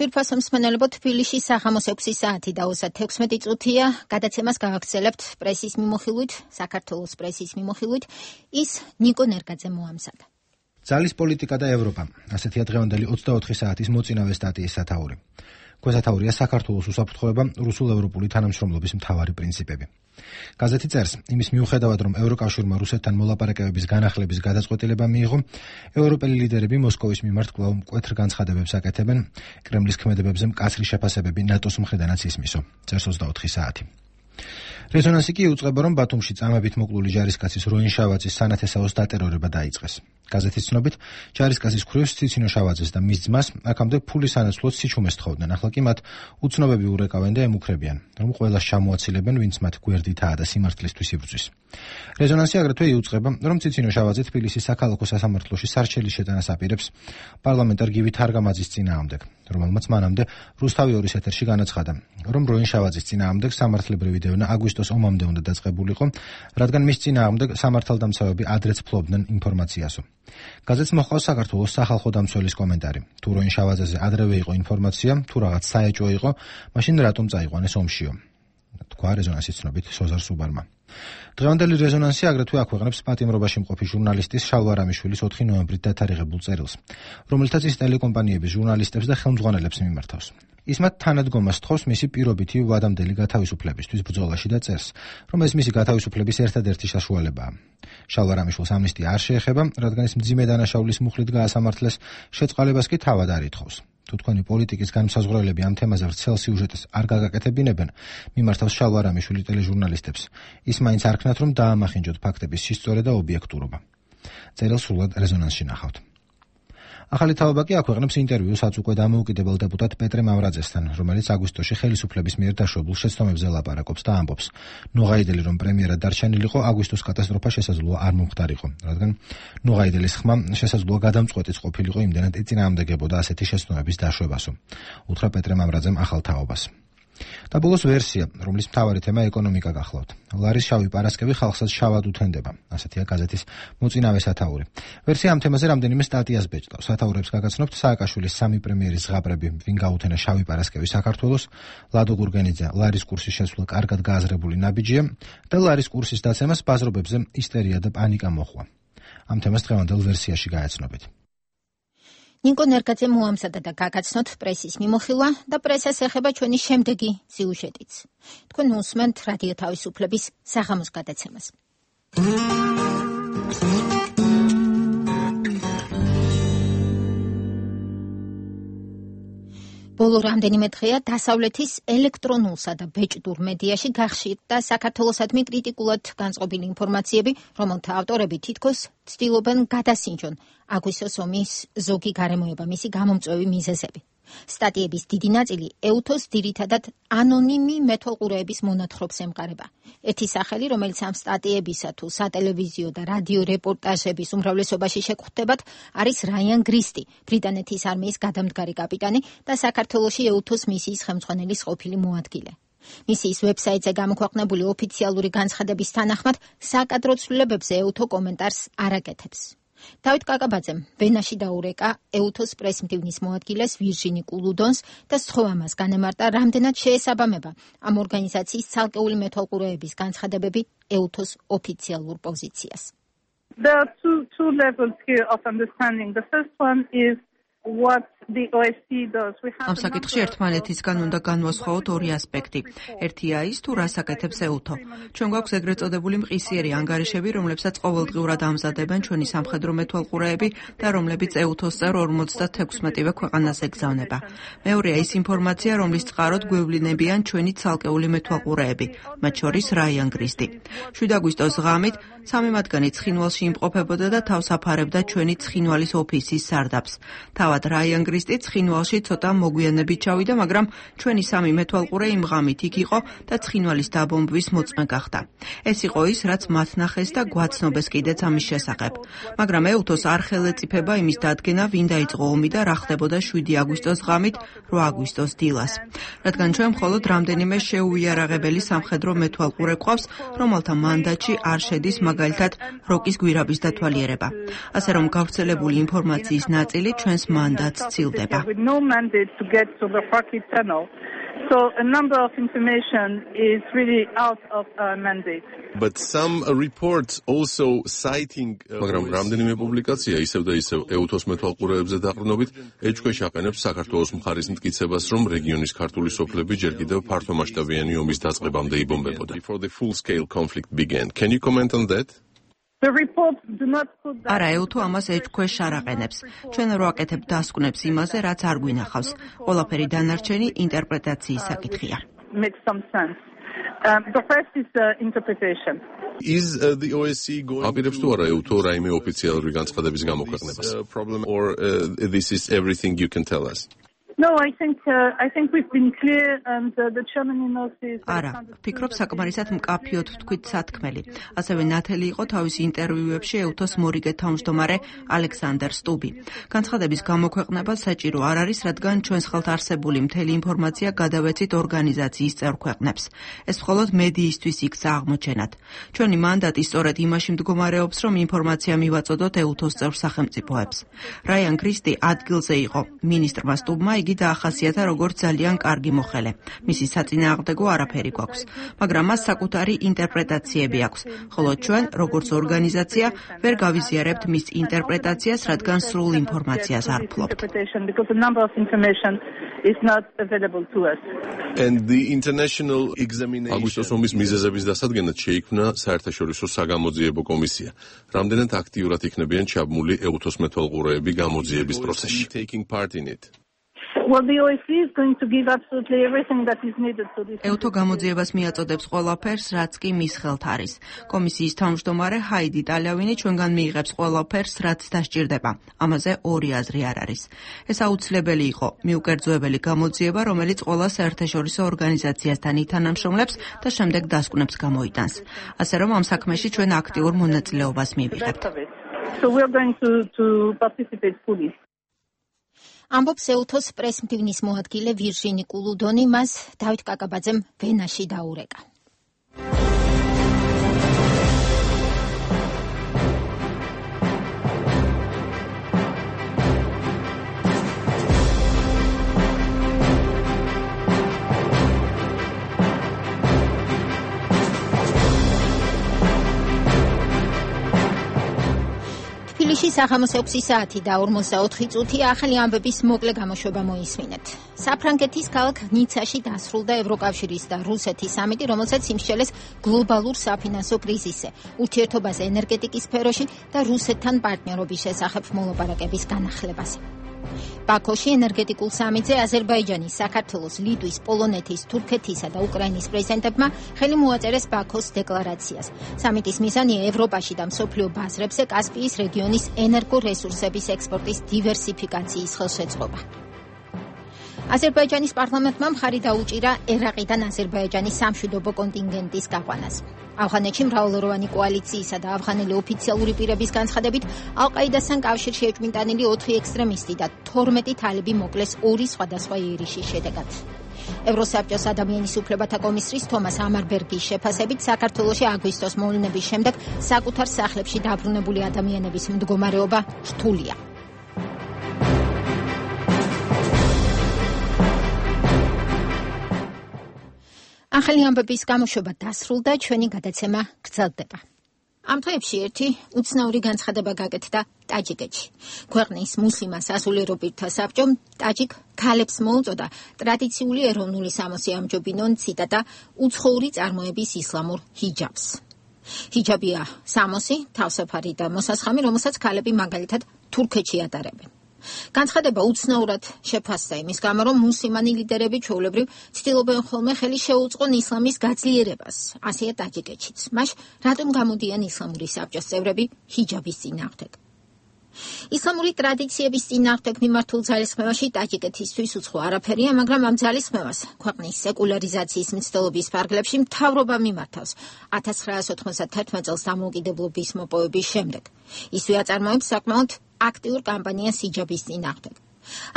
Speaker 1: თვირფასო მსმენელებო, თბილისში საღამოს 6 საათი და 36 წუთია. გადაცემას გავაგრძელებთ პრესის მიმოხილვით, საქართველოს პრესის მიმოხილვით. ის ნიკო ნერგაძე მოამზადა.
Speaker 5: ძალის პოლიტიკა და ევროპა. ასეთია დღევანდელი 24 საათის მოწინავე სტატიის სათაური. გვესათაურია საქართველოს უსაფრთხოება, რუსულ-ევროპული თანამშრომლობის მთავარი პრინციპები. გაზეთი წერს, იმის მიუხედავად, რომ ევროკავშირმა რუსეთთან მოლაპარაკებების განახლების გადაწყვეტილება მიიღო, ევროპელი ლიდერები მოსკოვის მიმართ კვლავ მკვეთრ განცხადებებს აკეთებენ, კრემლის ქმედებებზე მკაცრი შეფასებები ნატოს მხრიდანაც ისმისო. წერს 24 საათი. რეზონანსი კი იუწყება, რომ ბათუმში წამებით მოკლული ჯარისკაცის როინ შავაძის სანათესაოს დატერორება დაიწყეს. გაზეთის ცნობით, ჯარისკაცის ქვრივს ციცინო შავაძეს და მის ძმას აქამდე ფულის სანაცვლოდ სიჩუმეს თხოვდნენ. ახლა კი მათ უცნობები ურეკავენ და ემუქრებიან, რომ ყველას ჩამოაცილებენ, ვინც მათ გვერდითაა და სიმართლისთვის იბრძვის. რეზონანსი აგრეთვე იუწყება, რომ ციცინო შავაძე თბილისის საქალაქო სასამართლოში სარჩელის შეტანას აპირებს პარლამენტარ გივი თარგამაძის წინააღმდეგ, რომელმაც მანამდე რუსთავი 2-ის ეთერში განაცხადა, რომ როინ შავაძის წინააღმდეგ სამართლებრივი დევნა აგვისტოს ომამდე უნდა დაწყებულიყო, რადგან მის წინააღმდეგ სამართალდამცავები ადრეც ფლობდნენ ინფორმაციასო. გაზეთს მოჰყავს საქართველოს სახალხო დამცველის კომენტარი. თუ როინ შავაძეზე ადრევე იყო ინფორმაცია, თუ რაღაც საეჭვო იყო, მაშინ რატომ წაიყვანეს ომშიო? თქვა რეზონანსის ცნობით სოზარ სუბარმა. დღევანდელი რეზონანსი აგრეთვე აქვეყნებს პატიმრობაში მყოფი ჟურნალისტის შალვა რამიშვილის 4 ნოემბრით დათარიღებულ წერილს, რომელთაც ის ტელეკომპანიების ჟურნალისტებს და ხელმძღვანელებს მიმართავს. ის მათ თანადგომას თხოვს მისი პირობითი ვადამდელი გათავისუფლებისთვის ბრძოლაში და წერს, რომ ეს მისი გათავისუფლების ერთადერთი საშუალებაა. შალვა რამიშვილს ამნისტია არ შეეხება, რადგან ის მძიმე დანაშაულის მუხლით გაასამართლეს, შეწყალებას კი თავად არ ითხოვს. თუ თქვენი პოლიტიკის განმსაზღვრელები ამ თემაზე ვრცელ სიუჟეტს არ გაგაკეთებინებენ, მიმართავს შალვა რამიშვილი ტელეჟურნალისტებს. ის მაინც არ ქნათ, რომ დაამახინჯოთ ფაქტების სისწორე და ობიექტურობა. წერილს სრულად რეზონანსში ნახავთ. ახალი თავობა კი აქვეყნებს ინტერვიუს უკვე დამოუკიდებელ დეპუტატ პეტრე მავრაძესთან, რომელიც აგვისტოში ხელისუფლების მიერ დაშვებულ შეცდომებზე ლაპარაკობს და ამბობს, ნუღაიდელი რომ პრემიერად დარჩენილიყო, აგვისტოს კატასტროფა შესაძლოა არ მომხდარიყო, რადგან ნუღაიდელის ხმა შესაძლოა გადამწყვეტიც ყოფილიყო, იმდენად ეწინააღმდეგებოდა ასეთი შეცდომების დაშვებასო. უთხრა პეტრე მავრაძემ ახალ თაობას. და ბოლოს ვერსია, რომლის მთავარი თემა ეკონომიკა გახლავთ. ლარის შავი პარასკევი ხალხსაც შავად უთენდება, ასეთია გაზეთის მოწინავე სათაური. ვერსია ამ თემაზე რამდენიმე სტატიას ბეჭდავს. სათაურებს გაგაცნობთ სააკაშვილის 3 პრემიერის ზღაპრები, ვინ გაუთენა შავი პარასკევი საქართველოს, ლადო გურგენიძე, ლარის კურსის შესვლა კარგად გააზრებული ნაბიჯია და ლარის კურსის დაცემას ბაზრობებზე ისტერია და პანიკა მოჰყვა. ამ თემას დღევანდელ ვერსიაში გაეცნობით.
Speaker 1: ნიკო ნერგაძე მოამზადა და გაგაცნოთ პრესის მიმოხილვა და პრესას ეხება ჩვენი შემდეგი სიუჟეტიც. თქვენ უსმენთ რადიო თავისუფლების საღამოს გადაცემას. ბოლო რამდენიმე დღეა დასავლეთის ელექტრონულსა და ბეჭდურ მედიაში გახშირდა საქართველოსადმი კრიტიკულად განწყობილი ინფორმაციები, რომელთა ავტორები თითქოს ცდილობენ გადასინჯონ აგვისტოს ომის ზოგი გარემოება, მისი გამომწვევი მიზეზები. სტატიების დიდი ნაწილი ეუთოს ძირითადად ანონიმი მეთვალყურეების მონათხრობს ემყარება. ერთი სახელი, რომელიც ამ სტატიებისა თუ სატელევიზიო და რადიო რეპორტაჟების უმრავლესობაში შეგხვდებათ, არის რაიან გრისტი, ბრიტანეთის არმიის გადამდგარი კაპიტანი და საქართველოში ეუთოს მისიის ხელმძღვანელის ყოფილი მოადგილე. მისიის ვებსაიტზე გამოქვეყნებული ოფიციალური განცხადების თანახმად, საკადრო ცვლილებებზე ეუთო კომენტარს არ აკეთებს. დავით კაკაბაძემ ვენაში დაურეკა ეუთოს პრესმდივნის მოადგილეს ვირჟინი კულუდონს და სთხოვამას განემარტა, რამდენად შეესაბამება ამ ორგანიზაციის ცალკეული მეთვალყურეების განცხადებები ეუთოს ოფიციალურ პოზიციას.
Speaker 8: There are two levels here of understanding. The first one is what the OSCE does.
Speaker 7: ამ საკითხში ერთმანეთისგან უნდა განვასხვაოთ ორი ასპექტი. ერთია ის, თუ რას აკეთებს ეუთო. ჩვენ გვაქვს ეგრეთ წოდებული მყისიერი ანგარიშები, რომლებსაც ყოველდღიურად ამზადებენ ჩვენი სამხედრო მეთვალყურეები და რომლებიც ეუთოს წევრ 56-ვე ქვეყანას ეგზავნება. მეორეა ის ინფორმაცია, რომლის წყაროდ გვევლინებიან ჩვენი ცალკეული მეთვალყურეები, მათ შორის რაიან გრისტი. 7 აგვისტოს ღამით 3 მათგანი ცხინვალში იმყოფებოდა და თავს აფარებდა ჩვენი ცხინვალის ოფისის სარდაფს. თავად რაიან გრისტი ცხინვალში ცოტა მოგვიანებით ჩავიდა, მაგრამ ჩვენი 3 მეთვალყურე იმ ღამით იქ იყო და ცხინვალის დაბომბვის მოწმე გახდა. ეს იყო ის, რაც მათ ნახეს და გვაცნობეს კიდეც ამის შესახებ. მაგრამ ეუთოს არ ხელეწიფება იმის დადგენა, ვინ დაიწყო ომი და რა ხდებოდა 7 აგვისტოს ღამით 8 აგვისტოს დილას. რადგან ჩვენ მხოლოდ რამდენიმე შეუიარაღებელი სამხედრო მეთვალყურე გვყავს, რომელთა მანდატში არ შედის მაგალითად როკის გვირაბის დათვალიერება. ასე რომ გავრცელებული ინფორმაციის ნაწილი ჩვენს მანდატს ცილდება.
Speaker 8: With no mandate to get to the Rocky Tunnel. So a number of information is really out of our mandate.
Speaker 2: But some reports also citing მაგრამ რამდენიმე პუბლიკაცია ისევ და ისევ ეუთოს მეთვალყურეებზე დაყრდნობით ეჭქვეშ აყენებს საქართველოს მხარის მტკიცებას, რომ რეგიონის ქართული სოფლები ჯერ კიდევ ფართომასშტაბიანი ომის დაწყებამდე იბომბებოდა. Before the full-scale conflict began. Can you comment on that?
Speaker 7: არა, ეუთო ამას ეჭქვეშ არ აყენებს. ჩვენ რო აკეთებ დასკვნებს იმაზე, რაც არ გვინახავს. ყველაფერი დანარჩენი ინტერპრეტაციის საკითხია.
Speaker 8: The first is interpretation.
Speaker 2: Is the OSCE going აპირებს თუ არა ეუთო რაიმე ოფიციალური განცხადების გამოქვეყნებას? Or this is everything you can tell us?
Speaker 8: No, I think we've been clear and the chairman notices.
Speaker 7: არა, ვფიქრობ საკმარისად მკაფიოდ ვთქვით სათქმელი. ასევე ნათელი იყო თავისი ინტერვიუებში ეუთოს მორიგე თავმჯდომარე ალექსანდერ სტუბი. განცხადების გამოქვეყნება საჭირო არ არის, რადგან ჩვენს ხელთ არსებული მთელი ინფორმაცია გადავეცით ორგანიზაციის წევრ ქვეყნებს. ეს მხოლოდ მედიისთვის იქცა აღმოჩენად. ჩვენი მანდატი სწორედ იმაში მდგომარეობს, რომ ინფორმაცია მივაწოდოთ ეუთოს წევრ სახელმწიფოებს. რაიან გრისტი ადგილზე იყო. მინისტრმა სტუბმა იგი დაახასიათა როგორც ძალიან კარგი მოხელე. მისი საწინააღმდეგო არაფერი გვაქვს, მაგრამ მას საკუთარი ინტერპრეტაციები აქვს, ხოლო ჩვენ, როგორც ორგანიზაცია, ვერ გავიზიარებთ მის ინტერპრეტაციას, რადგან სრულ ინფორმაციას არ ვფლობთ.
Speaker 2: And the international examination აგვისტოს ომის მიზეზების დასადგენად შეიქმნა საერთაშორისო საგამოძიებო კომისია. რამდენად აქტიურად იქნებიან ჩაბმული ეუთოს მეთვალყურეები გამოძიების პროცესში? Taking part in it.
Speaker 8: Well, the OSCE is going to give absolutely everything that is needed to this.
Speaker 7: ეუთო გამოძიებას მიაწოდებს ყველაფერს, რაც კი მის ხელთ არის. კომისიის თავმჯდომარე ჰაიდი ტალავინი ჩვენგან მიიღებს ყველაფერს, რაც დასჭირდება. ამაზე ორი აზრი არ არის. ეს აუცილებელი იყო მიუკერძოებელი გამოძიება, რომელიც ყველა საერთაშორისო ორგანიზაციასთან ითანამშრომლებს და შემდეგ დასკვნებს გამოიტანს. ასე რომ ამ საქმეში ჩვენ აქტიურ მონაწილეობას მივიღებთ.
Speaker 8: So we are going to participate fully.
Speaker 1: ამბობს ეუთოს პრესმდივნის მოადგილე ვირჟინი კულუდონი, მას დავით კაკაბაძემ ვენაში დაურეკა. თბილისში საღამოს 6 საათი და 44 წუთი ახალი ამბების მოკლე გამოშვება მოისმინეთ. საფრანგეთის ქალაქ ნიცაში დასრულდა ევროკავშირის და რუსეთის სამიტი, რომელსაც იმსჯელეს გლობალურ საფინანსო კრიზისზე, ურთიერთობაზე ენერგეტიკის სფეროში და რუსეთთან პარტნიორობის შესახებ მოლაპარაკების განახლებაზე. ბაქოში ენერგეტიკულ სამიტზე აზერბაიჯანის, საქართველოს, ლიტვის, პოლონეთის, თურქეთისა და უკრაინის პრეზიდენტებმა ხელი მოაწერეს ბაქოს დეკლარაციას. სამიტის მიზანია ევროპაში და მსოფლიო ბაზრებზე კასპიის რეგიონის ენერგორესურსების ექსპორტის დივერსიფიკაციის ხელშეწყობა. აზერბაიჯანის პარლამენტმა მხარი დაუჭირა ერაყიდან აზერბაიჯანის სამშვიდობო კონტინგენტის გაყვანას. ავღანეთში მრავალროვანი კოალიციისა და ავღანელი ოფიციალური პირების განცხადებით ალ-ყაიდასთან კავშირში ეჭვმიტანილი 4 ექსტრემისტი და 12 თალიბი მოკლეს 2 სხვადასხვა იერიშის შედეგად. ევროსაბჭოს ადამიანის უფლებათა კომისრის თომას ამარბერგის შეფასებით საქართველოში აგვისტოს მოვლენების შემდეგ საკუთარ სახლებში დაბრუნებული ადამიანების მდგომარეობა რთულია. ახალი ამბების გამოშვება დასრულდა, ჩვენი გადაცემა გრძელდება. ამ დღეებში ერთი უცნაური განცხადება გაკეთდა ტაჯიკეთში. ქვეყნის მუსლიმ სასულიერო პირთა საბჭომ ტაჯიკ ქალებს მოუწოდა ტრადიციული ეროვნული სამოსი ამჯობინონ, ციტატა, უცხოური წარმოების ისლამურ ჰიჯაბს. ჰიჯაბია სამოსი, თავსაფარი და მოსასხამი, რომელსაც ქალები მაგალითად თურქეთში ატარებენ. განცხადება უცნაურად შეფასდა იმის გამო, რომ მუსლიმანი ლიდერები ჩვეულებრივ ცდილობენ ხოლმე ხელი შეუწყონ ისლამის გაძლიერებას, ასეა ტაჯიკეთშიც. მას რატომ გამოდიან ისლამური საბჭოს წევრები ჰიჯაბის წინააღმდეგ? ისლამური ტრადიციების წინააღმდეგ მიმართულ ძალისხმევაში ტაჯიკეთისთვის უცხო არაფერია, მაგრამ ამ ძალისხმევას ქვეყნის სეკულარიზაციის მცდელობის ფარგლებში მთავრობა მიმართავს 1991 წელს დამოუკიდებლობის მოპოვების შემდეგ. ისვე აწარმოებს საკმაოდ აქტიურ კამპანიას ჰიჯაბის წინააღმდეგ.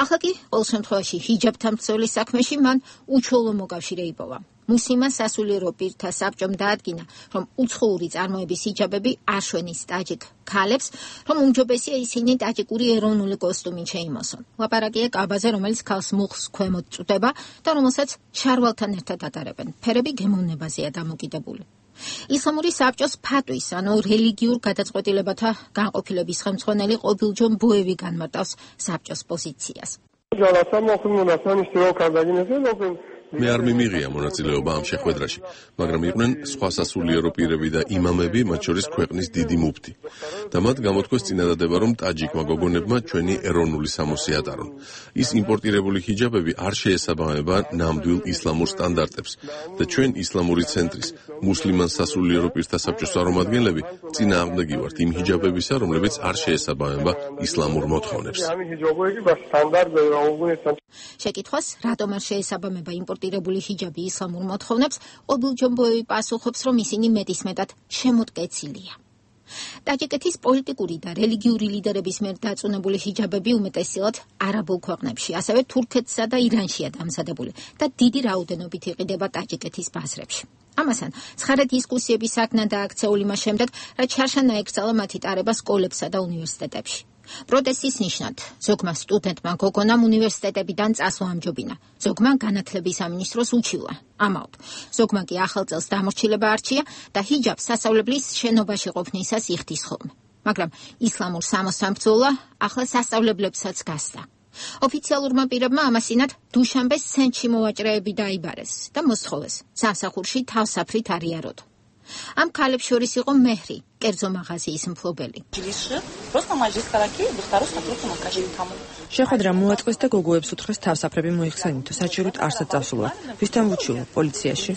Speaker 1: ახლა კი ყოველ შემთხვევაში ჰიჯაბთან ბრძოლის საქმეში მან უჩვეულო მოკავშირე იპოვა. მუსლიმან სასულიერო პირთა საბჭომ დაადგინა, რომ უცხოური წარმოების ჰიჯაბები არ შვენის ტაჯიკ ქალებს, რომ უმჯობესია ისინი ტაჯიკური ეროვნული კოსტუმით შეიმოსონ. ლაპარაკია კაბაზე, რომელიც ქალს მუხლს ქვემოთ წვდება და რომელსაც შარვალთან ერთად ატარებენ. ფერები გემოვნებაზეა დამოკიდებული. ისლამური საბჭოს ფატვის, ანუ რელიგიურ გადაწყვეტილებათა განყოფილების ხელმძღვანელი ყობილჯონ ბუევი განმარტავს საბჭოს პოზიციას.
Speaker 2: მე არ მიმიღია მონაწილეობა ამ შეხვედრაში, მაგრამ იყვნენ სხვა სასულიერო პირები და იმამები, მათ შორის ქვეყნის დიდი მუფტი. და მათ გამოთქვეს წინადადება, რომ ტაჯიკმა გოგონებმა ჩვენი ეროვნული სამოსი ატარონ. ის იმპორტირებული ჰიჯაბები არ შეესაბამება ნამდვილ ისლამურ სტანდარტებს და ჩვენ ისლამური ცენტრის მუსლიმან სასულიერო პირთა საბჭოს წარმომადგენლები წინააღმდეგი ვართ იმ ჰიჯაბებისა, რომლებიც არ შეესაბამება ისლამურ მოთხოვნებს.
Speaker 1: შეკითხვას, რატომ არ შეესაბამება იმპორტირებული ჰიჯაბი ისლამურ მოთხოვნებს, ყობილჯონ ბუევი პასუხობს, რომ ისინი მეტისმეტად შემოდგეცილია. ტაჯიკეთის პოლიტიკური და რელიგიური ლიდერების მიერ დაწუნებული ჰიჯაბები უმეტესწილად არაბულ ქვეყნებში, ასევე თურქეთსა და ირანშია დამზადებული და დიდი რაოდენობით იყიდება ტაჯიკეთის ბაზრებში. ამასთან, ცხარე დისკუსიების საგნა დააქცეული მას შემდეგ, რაც შარშანა ეკრძალა მათი ტარება სკოლებსა და უნივერსიტეტებში. პროტესტის ნიშნად ზოგმა სტუდენტმა გოგონამ უნივერსიტეტებიდან წასვლა ამჯობინა, ზოგმა განათლების სამინისტროს უჩივლა, ამაოდ. ზოგმა კი ახალ წელს დამორჩილება არჩია და ჰიჯაბს სასწავლებლის შენობაში ყოფნისას იხდის ხოლმე. მაგრამ ისლამურ სამოსთან ბრძოლა ახლა სასწავლებლებსაც გასცა. ოფიციალურმა პირებმა ამასინად დუშანბეს ცენტრში მოვაჭრეები დაიბარეს და მოსთხოვეს სამსახურში თავსაფრით არიაროთ. ამ ქალებს შორის იყო მეჰრი, კერძო მაღაზიის მფლობელი.
Speaker 7: შეხვედრა მოაწყვეს და გოგოებს უთხრეს თავსაფრები მოიხსენითო, საჭიროდ არსად წასულა. ვისთან უჩივლო? პოლიციაში.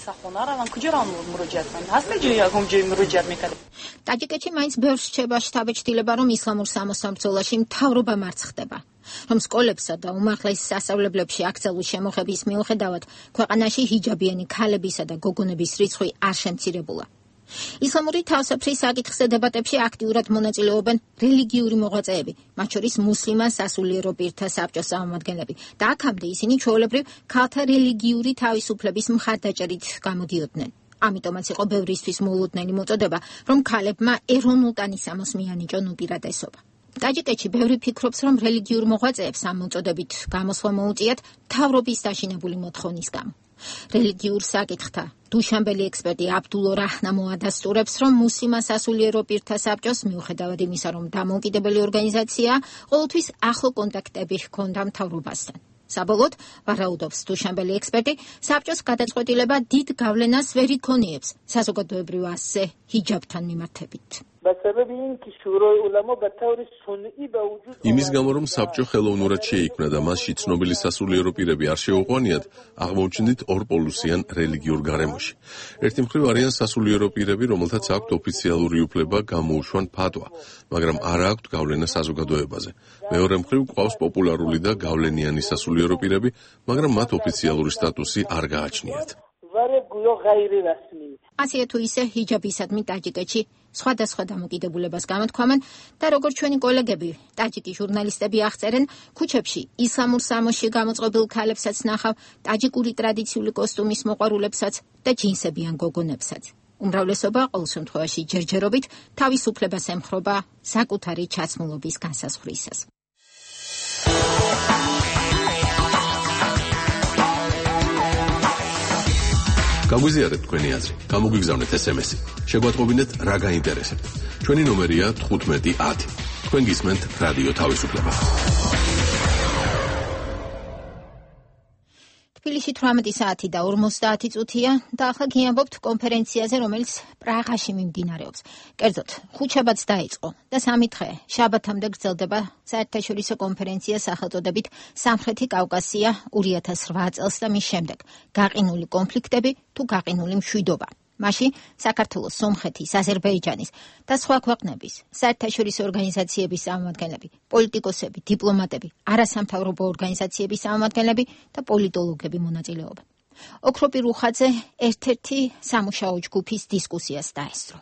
Speaker 1: ტაჯიკეთში მაინც ბევრს რჩება შთაბეჭდილება, რომ ისლამურ სამოსთან ბრძოლაში მთავრობა მარცხ ხდება. რომ სკოლებსა და უმაღლეს სასწავლებლებში აკრძალული შემოღების მიუხედავად, ქვეყანაში ჰიჯაბიანი ქალებისა და გოგონების რიცხვი არ შემცირებულა. ისლამური თავისუფლების საკითხზე დებატებში აქტიურად მონაწილეობენ რელიგიური მოღვაწეები, მათ შორის მუსლიმან სასულიერო პირთა საბჭოს წარმომადგენლები და აქამდე ისინი ჩვეულებრივ ქალთა რელიგიური თავისუფლების მხარდაჭერით გამოდიოდნენ. ამიტომაც იყო ბევრისთვის მოულოდნელი მოწოდება, რომ ქალებმა ეროვნულ ტანისამოს მიანიჭონ უპირატესობა. ტაჯიკეთში ბევრი ფიქრობს, რომ რელიგიურ მოღვაწეებს ამ მოწოდებით გამოსვლა მოუწიათ მთავრობის დაშინებული მოთხოვნის გამო. რელიგიურ საკითხთა დუშანბელი ექსპერტი აბდულო რაჰნამო ადასტურებს, რომ მუსლიმან სასულიერო პირთა საბჭოს მიუხედავად იმისა, რომ დამოუკიდებელი ორგანიზაციაა, ყოველთვის ახლო კონტაქტები ჰქონდა მთავრობასთან. საბოლოოდ, ვარაუდობს დუშანბელი ექსპერტი, საბჭოს გადაწყვეტილება დიდ გავლენას ვერ იქონიებს საზოგადოებრივ ასზე ჰიჯაბთან მიმართებით.
Speaker 2: იმის გამო, რომ საბჭო ხელოვნურად შეიქმნა და მასში ცნობილი სასულიერო პირები არ შეუყვანიათ, აღმოჩნდით ორპოლუსიან რელიგიურ გარემოში. ერთი მხრივ არიან სასულიერო პირები, რომელთაც აქვთ ოფიციალური უფლება გამოუშვან ფატვა, მაგრამ არ აქვთ გავლენა საზოგადოებაზე. მეორე მხრივ ყავს პოპულარული და გავლენიანი სასულიერო პირები, მაგრამ მათ ოფიციალური სტატუსი არ გააჩნიათ.
Speaker 1: ასეა თუ ისე ჰიჯაბისადმი ტაჯიკეთში სხვადასხვა დამოკიდებულებას გამოთქვამენ და როგორც ჩვენი კოლეგები, ტაჯიკი ჟურნალისტები აღწერენ, ქუჩებში ისლამურ სამოსში გამოწყობილ ქალებსაც ნახავ, ტაჯიკური ტრადიციული კოსტუმის მოყვარულებსაც და ჯინსებიან გოგონებსაც. უმრავლესობა ყოველ შემთხვევაში ჯერჯერობით თავისუფლებას ემხრობა საკუთარი ჩაცმულობის განსაზღვრისას.
Speaker 2: გაგვიზიარეთ თქვენი აზრი, გამოგვიგზავნეთ SMS-ი. შეგვატყობინეთ რა გაინტერესებთ. ჩვენი ნომერია 1510. თქვენ გისმენთ რადიო თავისუფლება.
Speaker 1: თბილისში 18 საათი და 50 წუთია და ახლა გიამბობთ კონფერენციაზე, რომელიც პრაღაში მიმდინარეობს. კერძოდ, ხუთშაბათს დაიწყო და 3 დღე შაბათამდე გრძელდება საერთაშორისო კონფერენცია სახელწოდებით სამხრეთი კავკასია 2008 წელს და მის შემდეგ გაყინული კონფლიქტები თუ გაყინული მშვიდობა. მაშინ საქართველოს, სომხეთის, აზერბაიჯანის და სხვა ქვეყნების საერთაშორისო ორგანიზაციების წარმომადგენლები, პოლიტიკოსები, დიპლომატები, არასამთავრობო ორგანიზაციების წარმომადგენლები და პოლიტოლოგები მონაწილეობენ. ოქროპირ უხაძე ერთ-ერთი სამუშაო ჯგუფის დისკუსიას დაესწრო.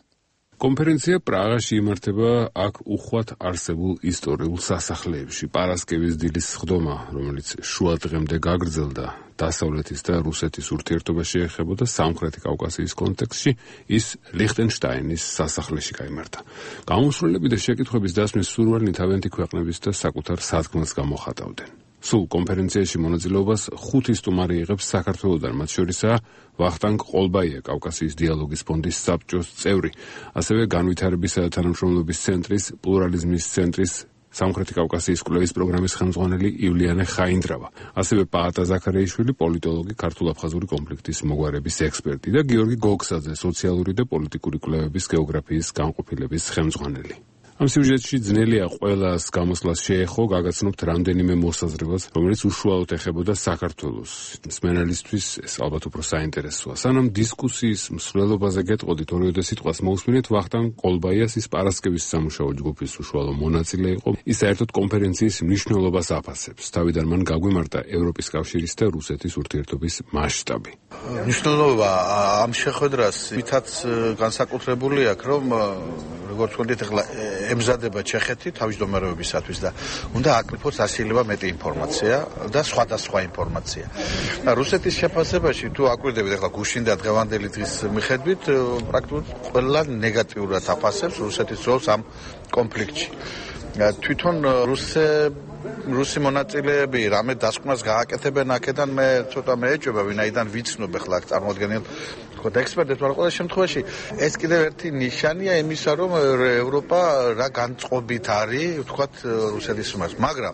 Speaker 3: კონფერენცია პრაღაში იმართება აქ უხვად არსებულ ისტორიულ სასახლეებში. პარასკევის დილის სხდომა, რომელიც შუა დღემდე გაგრძელდა დასავლეთის და რუსეთის ურთიერთობას შეეხებოდა სამხრეთი კავკასიის კონტექსტში, ის ლიხტენშტაინის სასახლეში გაიმართა. გამოსვლელები და შეკითხვების დასმის სურვილი თავიანთი ქვეყნების და საკუთარ სათქმელს გამოხატავდნენ. სულ კონფერენციაში მონაწილეობას 5 სტუმარი იღებს საქართველოდან, მათ შორისაა ვახტანგ ყოლბაია, კავკასიის დიალოგის ფონდის საბჭოს წევრი, ასევე განვითარებისა და თანამშრომლობის ცენტრის, პლურალიზმის ცენტრის სამხრეთი კავკასიის კვლევის პროგრამის ხელმძღვანელი ივლიანე ხაინდრავა, ასევე პაატა ზაქარიაშვილი, პოლიტოლოგი, ქართულ-აფხაზური კონფლიქტის მოგვარების ექსპერტი და გიორგი გოგსაძე, სოციალური და პოლიტიკური კვლევების გეოგრაფიის განყოფილების ხელმძღვანელი. ამ სიუჟეტში ძნელია ყველას გამოსვლას შეეხო, გაგაცნობთ რამდენიმე მოსაზრებას, რომელიც უშუალოდ ეხებოდა საქართველოს. მსმენელისთვის ეს ალბათ უფრო საინტერესოა. სანამ დისკუსიის მსვლელობაზე გეტყოდით, ორიოდე სიტყვას მოусმინეთ ვახტანგ ყოლბაიას, ის პარასკევის სამუშაო ჯგუფის უშუალო მონაწილე იყო. ის საერთოდ კონფერენციის მნიშვნელობას აფასებს. თავიდან მან გაგვიმართა ევროპის კავშირის და რუსეთის ურთიერთობის მასშტაბი.
Speaker 9: მნიშვნელობა ამ შეხვედრას მითაც განსაკუთრებული აქვს, რომ როგორც ვთქვით, ახლა ემზადება ჩეხეთი თავმჯდომარეობისათვის და უნდა აკრიფოს ასილება მეტი ინფორმაცია და სხვადასხვა ინფორმაცია. რუსეთის შეფასებაში თუ აკვირდებით ახლა გუშინ და დღევანდელი დღის მიხედვით, პრაქტიკულად ყველა ნეგატიურად აფასებს რუსეთის როლს ამ კონფლიქტში. თვითონ რუსი მონაწილეები რამე დასკვნას გააკეთებენ აქედან მე ცოტა მეეჭვება, ვინაიდან ვიცნობ ახლა აქ წარმოადგენელ ექსპერტებს, მაგრამ ყველა შემთხვევაში ეს კიდევ ერთი ნიშანია იმისა, რომ ევროპა რა განწყობით არის, ვთქვათ, რუსეთის მიმართ. მაგრამ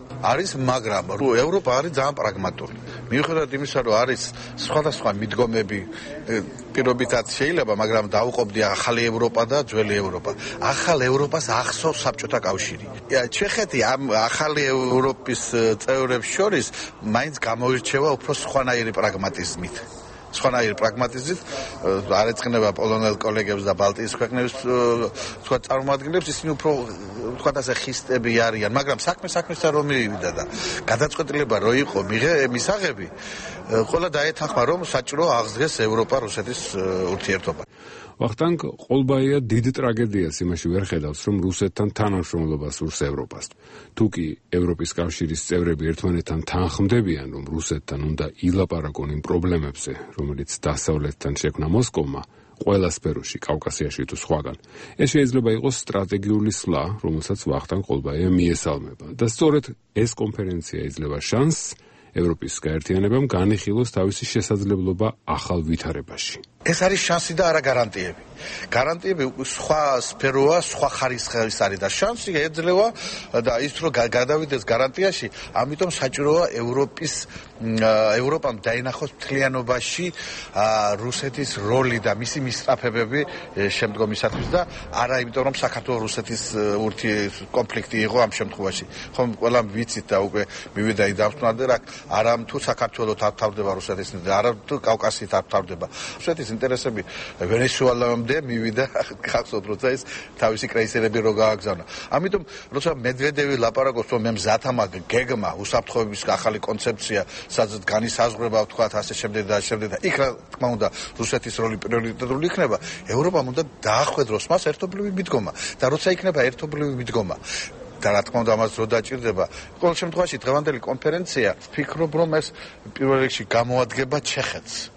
Speaker 9: ევროპა არის ძალიან პრაგმატული. მიუხედავად იმისა, რომ არის სხვადასხვა მიდგომები, პირობითაც შეიძლება, მაგრამ დაუყოფდი ახალი ევროპა და ძველი ევროპა. ახალ ევროპას ახსოვს საბჭოთა კავშირი. ჩეხეთი ამ ახალი ევროპის წევრებს შორის მაინც გამოირჩევა უფრო სხვანაირი პრაგმატიზმით. არ ეწყინება პოლონელ კოლეგებს და ბალტიის ქვეყნების წარმომადგენლებს, ისინი უფრო ვთქვათ ასე ხისტები არიან, მაგრამ საქმესთან რომ მივიდა და გადაწყვეტილება რო იყო მისაღები, ყველა დაეთანხმა, რომ საჭირო აღსდგეს ევროპა-რუსეთის ურთიერთობა.
Speaker 3: ვახტანგ ყოლბაია დიდ ტრაგედიას იმაში ვერ ხედავს, რომ რუსეთთან თანამშრომლობა სურს ევროპას. თუ კი ევროპის კავშირის წევრები ერთმანეთთან თანხმდებიან, რომ რუსეთთან უნდა ილაპარაკონ იმ პრობლემებზე, რომელიც დასავლეთთან შექმნა მოსკოვმა, ყველა სფეროში, კავკასიაში თუ სხვაგან. ეს შეიძლება იყოს სტრატეგიული სვლა, რომელსაც ვახტანგ ყოლბაია მიესალმება. და სწორედ ეს კონფერენცია იძლევა შანსს ევროპის გაერთიანებამ განიხილოს თავისი შესაძლებლობა ახალ ვითარებაში.
Speaker 9: ეს არის შანსი და არა გარანტიები. გარანტიები სხვა სფეროა, სხვა ხარისხის არის და შანსი ეძლევა და ის რომ გადავიდეს გარანტიაში, ამიტომ საჭიროა ევროპამ დაინახოს მთლიანობაში რუსეთის როლი და მისი მისწრაფებები შემდგომისათვის და არა იმიტომ რომ საქართველოს რუსეთის კონფლიქტი იყო ამ შემთხვევაში. ხომ ყველა ვიცით და უკვე მივიდა დავსვამდე რა არა თუ საქართველოს თავდება რუსეთის და არა თუ კავკასიის თავდება. რუსეთის ინტერესები ვენესუელამდე მივიდა გახსოვთ როცა ის თავისი კრეისერები რო გააგზავნა. ამიტომ როცა მედვედევი ლაპარაკობს რომ მე მზათა მაგ გეგმა უსაფრთხოების ახალი კონცეფცია სადაც განისაზღვრება ვთქვათ ასე შემდეგ და შემდეგ და იქ რა თქმა უნდა რუსეთის როლი პრიორიტეტული იქნება ევროპამ უნდა დაახვედროს მას ერთობლივი მიდგომა და როცა იქნება ერთობლივი მიდგომა და რა თქმა უნდა ამას რო დაჭირდება ყოველ შემთხვევაში დღევანდელი კონფერენცია ვფიქრობ რომ ეს პირველ რიგში გამოადგება ჩეხეთს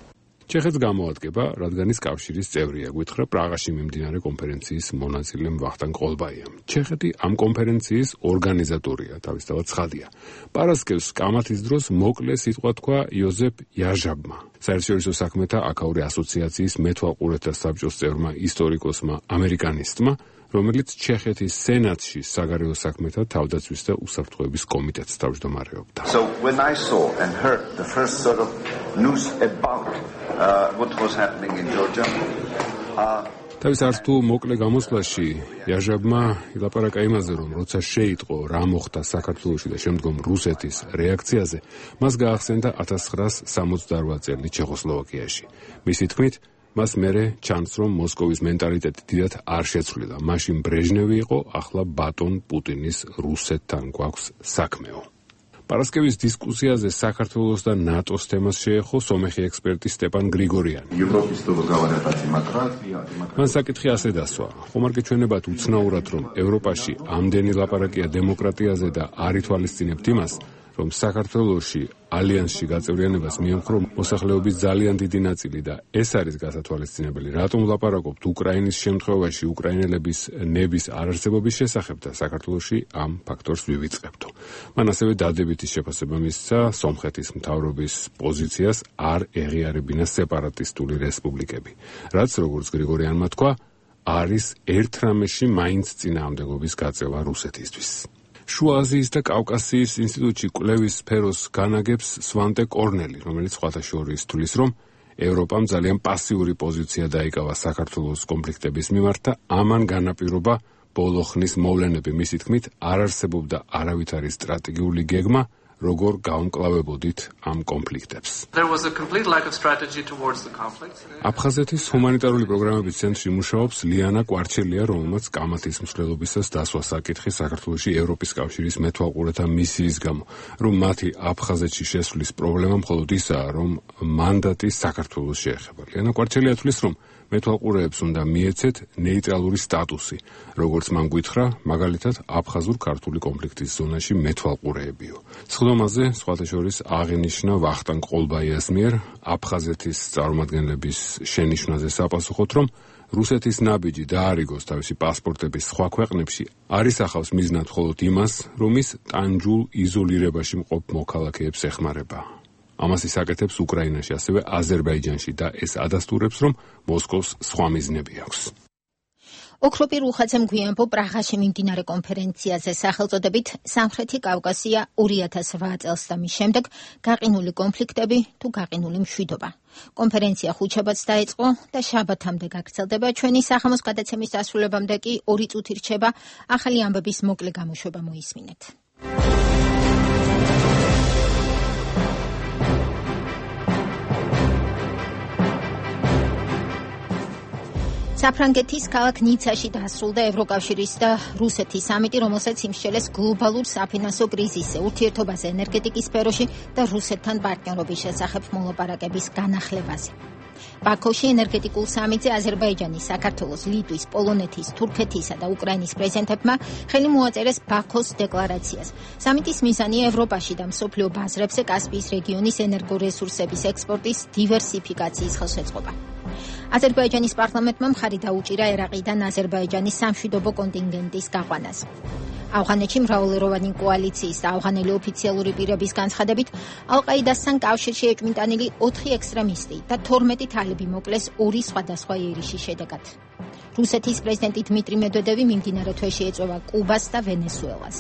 Speaker 3: გამოადგება, რადგან ის კავშირის წევრია, გითხრა პრაღაში მიმდინარე კონფერენციის მონაწილე ვახტანგ ყოლბაიამ. ჩეხეთი ამ კონფერენციის ორგანიზატორია, თავისთავად ცხადია. პარასკევს კამათის დროს მოკლე სიტყვა თქვა იოზეფ იაჟაბმა, საერთაშორისო საქმეთა აქაური ასოციაციის მეთვალყურეთა საბჭოს წევრმა ისტორიკოსმა ამერიკანისტმა, რომელიც ჩეხეთის სენატში საგარეო საქმეთა თავდაცვის და უსაფრთხოების კომიტეტს თავმჯდომარეობდა.
Speaker 10: So when I saw and heard the first sort of news about what was happening in Georgia
Speaker 3: თავის არცთუ მოკლე გამოსვლაში იაჟაბმა ილაპარაკა იმაზე, რომ როცა შეიტყო რა მოხდა საქართველოში და შემდგომ რუსეთის რეაქციაზე, მას გაახსენდა 1968 წელი ჩეხოსლოვაკიაში. მისი თქმით, მას მერე ჩანს, რომ მოსკოვის მენტალიტეტი დიდად არ შეცვლილა. მაშინ ბრეჟნევი იყო, ახლა ბატონ პუტინის რუსეთთან გვაქვს საქმეო. პარასკევის დისკუსიაზე საქართველოს და ნატოს თემას შეეხო სომეხი ექსპერტი სტეპან გრიგორიანი. მან საკითხი ასე დასვა. ხომ არ გეჩვენებათ უცნაურად, რომ ევროპაში ამდენი ლაპარაკია დემოკრატიაზე და არ ითვალისწინებთ იმას, რომ საქართველოში ალიანსში გაწევრიანებას მიემხრო მოსახლეობის ძალიან დიდი ნაწილი და ეს არის გასათვალისწინებელი. რატომ ვლაპარაკობთ უკრაინის შემთხვევაში უკრაინელების ნების არარსებობის შესახებ და საქართველოში ამ ფაქტორს ვივიწყებთო. მან ასევე დადებითი შეფასება მისცა სომხეთის მთავრობის პოზიციას არ ეღიარებინა სეპარატისტული რესპუბლიკები, რაც როგორც გრიგორიანმა თქვა, არის ერთ რამეში მაინც წინააღმდეგობის გაწევა რუსეთისთვის. შუა აზიის და კავკასიის ინსტიტუტში კვლევის სფეროს განაგებს სვანტე კორნელი, რომელიც სხვათა შორის თვლის, რომ ევროპამ ძალიან პასიური პოზიცია დაიკავა საქართველოს კონფლიქტების მიმართ და ამან განაპირობა ბოლო ხნის მოვლენები. მისი თქმით, არ არსებობდა არავითარი სტრატეგიული გეგმა, როგორ გაუმკლავებოდით ამ კონფლიქტებს. აფხაზეთის ჰუმანიტარული პროგრამების ცენტრში მუშაობს ლიანა კვარჩელია, რომელმაც კამათის მსვლელობისას დასვა საკითხი საქართველოში ევროპის კავშირის მეთვალყურეთა მისიის გამო, რომ მათი აფხაზეთში შესვლის პრობლემა მხოლოდ ისაა, რომ მანდატი საქართველოს შეეხება. ლიანა კვარჩელია თვლის, რომ მეთვალყურეებს უნდა მიეცეთ ნეიტრალური სტატუსი, როგორც მან გითხრა, მაგალითად აფხაზურ-ქართული კონფლიქტის ზონაში მეთვალყურეებიო. სხდომაზე სხვათა შორის აღინიშნა ვახტანგ ყოლბაიას მიერ აფხაზეთის წარმომადგენლების შენიშვნაზე საპასუხოდ, რომ რუსეთის ნაბიჯი დაარიგოს თავისი პასპორტების სხვა ქვეყნებში არის ახავს მიზნად მხოლოდ იმას, რომ ის ტანჯულ იზოლირებაში მყოფ მოქალაქეებს ეხმარება. ამას ისაკეთებს უკრაინაში, ასევე აზერბაიჯანში და ეს ადასტურებს, რომ მოსკოვს სხვა მიზნები აქვს.
Speaker 1: ოქროპირ უხაცემ გვიანბო პრაღაში მიმდინარე კონფერენციაზე სახელწოდებით სამხრეთი კავკასია 2008 წელს და მის შემდეგ გაყინული კონფლიქტები თუ გაყინული მშვიდობა. კონფერენცია ხუთშაბათს დაიწყო და შაბათამდე გაგრძელდება. ჩვენი სახამოს გადაცემის დასრულებამდე კი 2 წუთი რჩება. ახალი ამბების მოკლე გამოშვება მოისმინეთ. საფრანგეთის ქალაქ ნიცაში დასრულდა ევროკავშირის და რუსეთის სამიტი, რომელსაც იმსჯელეს გლობალურ საფინანსო კრიზისზე, ურთიერთობაზე ენერგეტიკის სფეროში და რუსეთთან პარტნიორობის შესახებ მოლაპარაკების განახლებაზე. ბაქოში ენერგეტიკულ სამიტზე აზერბაიჯანის, საქართველოს, ლიტვის, პოლონეთის, თურქეთისა და უკრაინის პრეზიდენტებმა ხელი მოაწერეს ბაქოს დეკლარაციას. სამიტის მიზანია ევროპაში და მსოფლიო ბაზრებზე კასპიის რეგიონის ენერგორესურსების ექსპორტის დივერსიფიკაციის ხელშეწყობა. აზერბაიჯანის პარლამენტმა მხარი დაუჭირა ერაყიდან აზერბაიჯანის სამშვიდობო კონტინგენტის გაყვანას. ავღანეთში მრავალეროვანი კოალიციის და ავღანელი ოფიციალური პირების განცხადებით ალ-ყაიდასთან კავშირში ეჭვმიტანილი 4 ექსტრემისტი და 12 თალიბი მოკლეს 2 სხვადასხვა ერიშის შედეგად. რუსეთის პრეზიდენტი დმიტრი მედვედევი მიმდინარე თვეში ეწევა კუბას და ვენესუელას.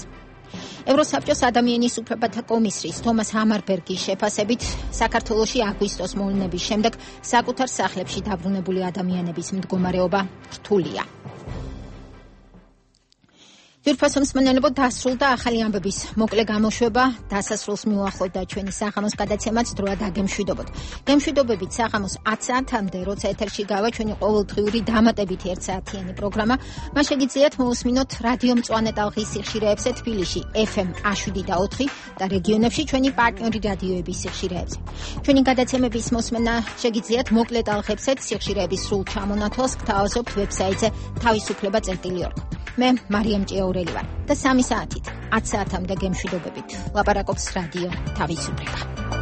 Speaker 1: ევროსაბჭოს ადამიანის უფლებათა კომისრის თომას ჰამარბერგის შეფასებით საქართველოში აგვისტოს მოვლენების შემდეგ საკუთარ სახლებში დაბრუნებული ადამიანების მდგომარეობა რთულია. ძვირფასო მსმენელებო, დასრულდა ახალი ამბების მოკლე გამოშვება, დასასრულს მიუახლოვდა ჩვენი საღამოს გადაცემაც, დროა დაგემშვიდობოთ. გემშვიდობებით საღამოს 10 საათამდე, როცა ეთერში გავა ჩვენი ყოველდღიური დამატებითი 1 საათიანი პროგრამა, მას შეგიძლიათ მოусმინოთ რადიო მწვანე ტალღის სიხშირეებზე თბილისში FM 7 და რეგიონებში ჩვენი პარტნიორი რადიოების სიხშირეებზე. ჩვენი გადაცემების მოსმენა შეგიძლიათ მოკლე ტალღებზეც სიხშირეების სრულ ჩამონათვალს გთავაზობთ ვებსაიტზე თავისუფლება.org. მე მარიამ ჭიაურელი ვარ და 3 საათით 10 საათამდე გემშვიდობებით ლაპარაკობს რადიო თავისუფლება.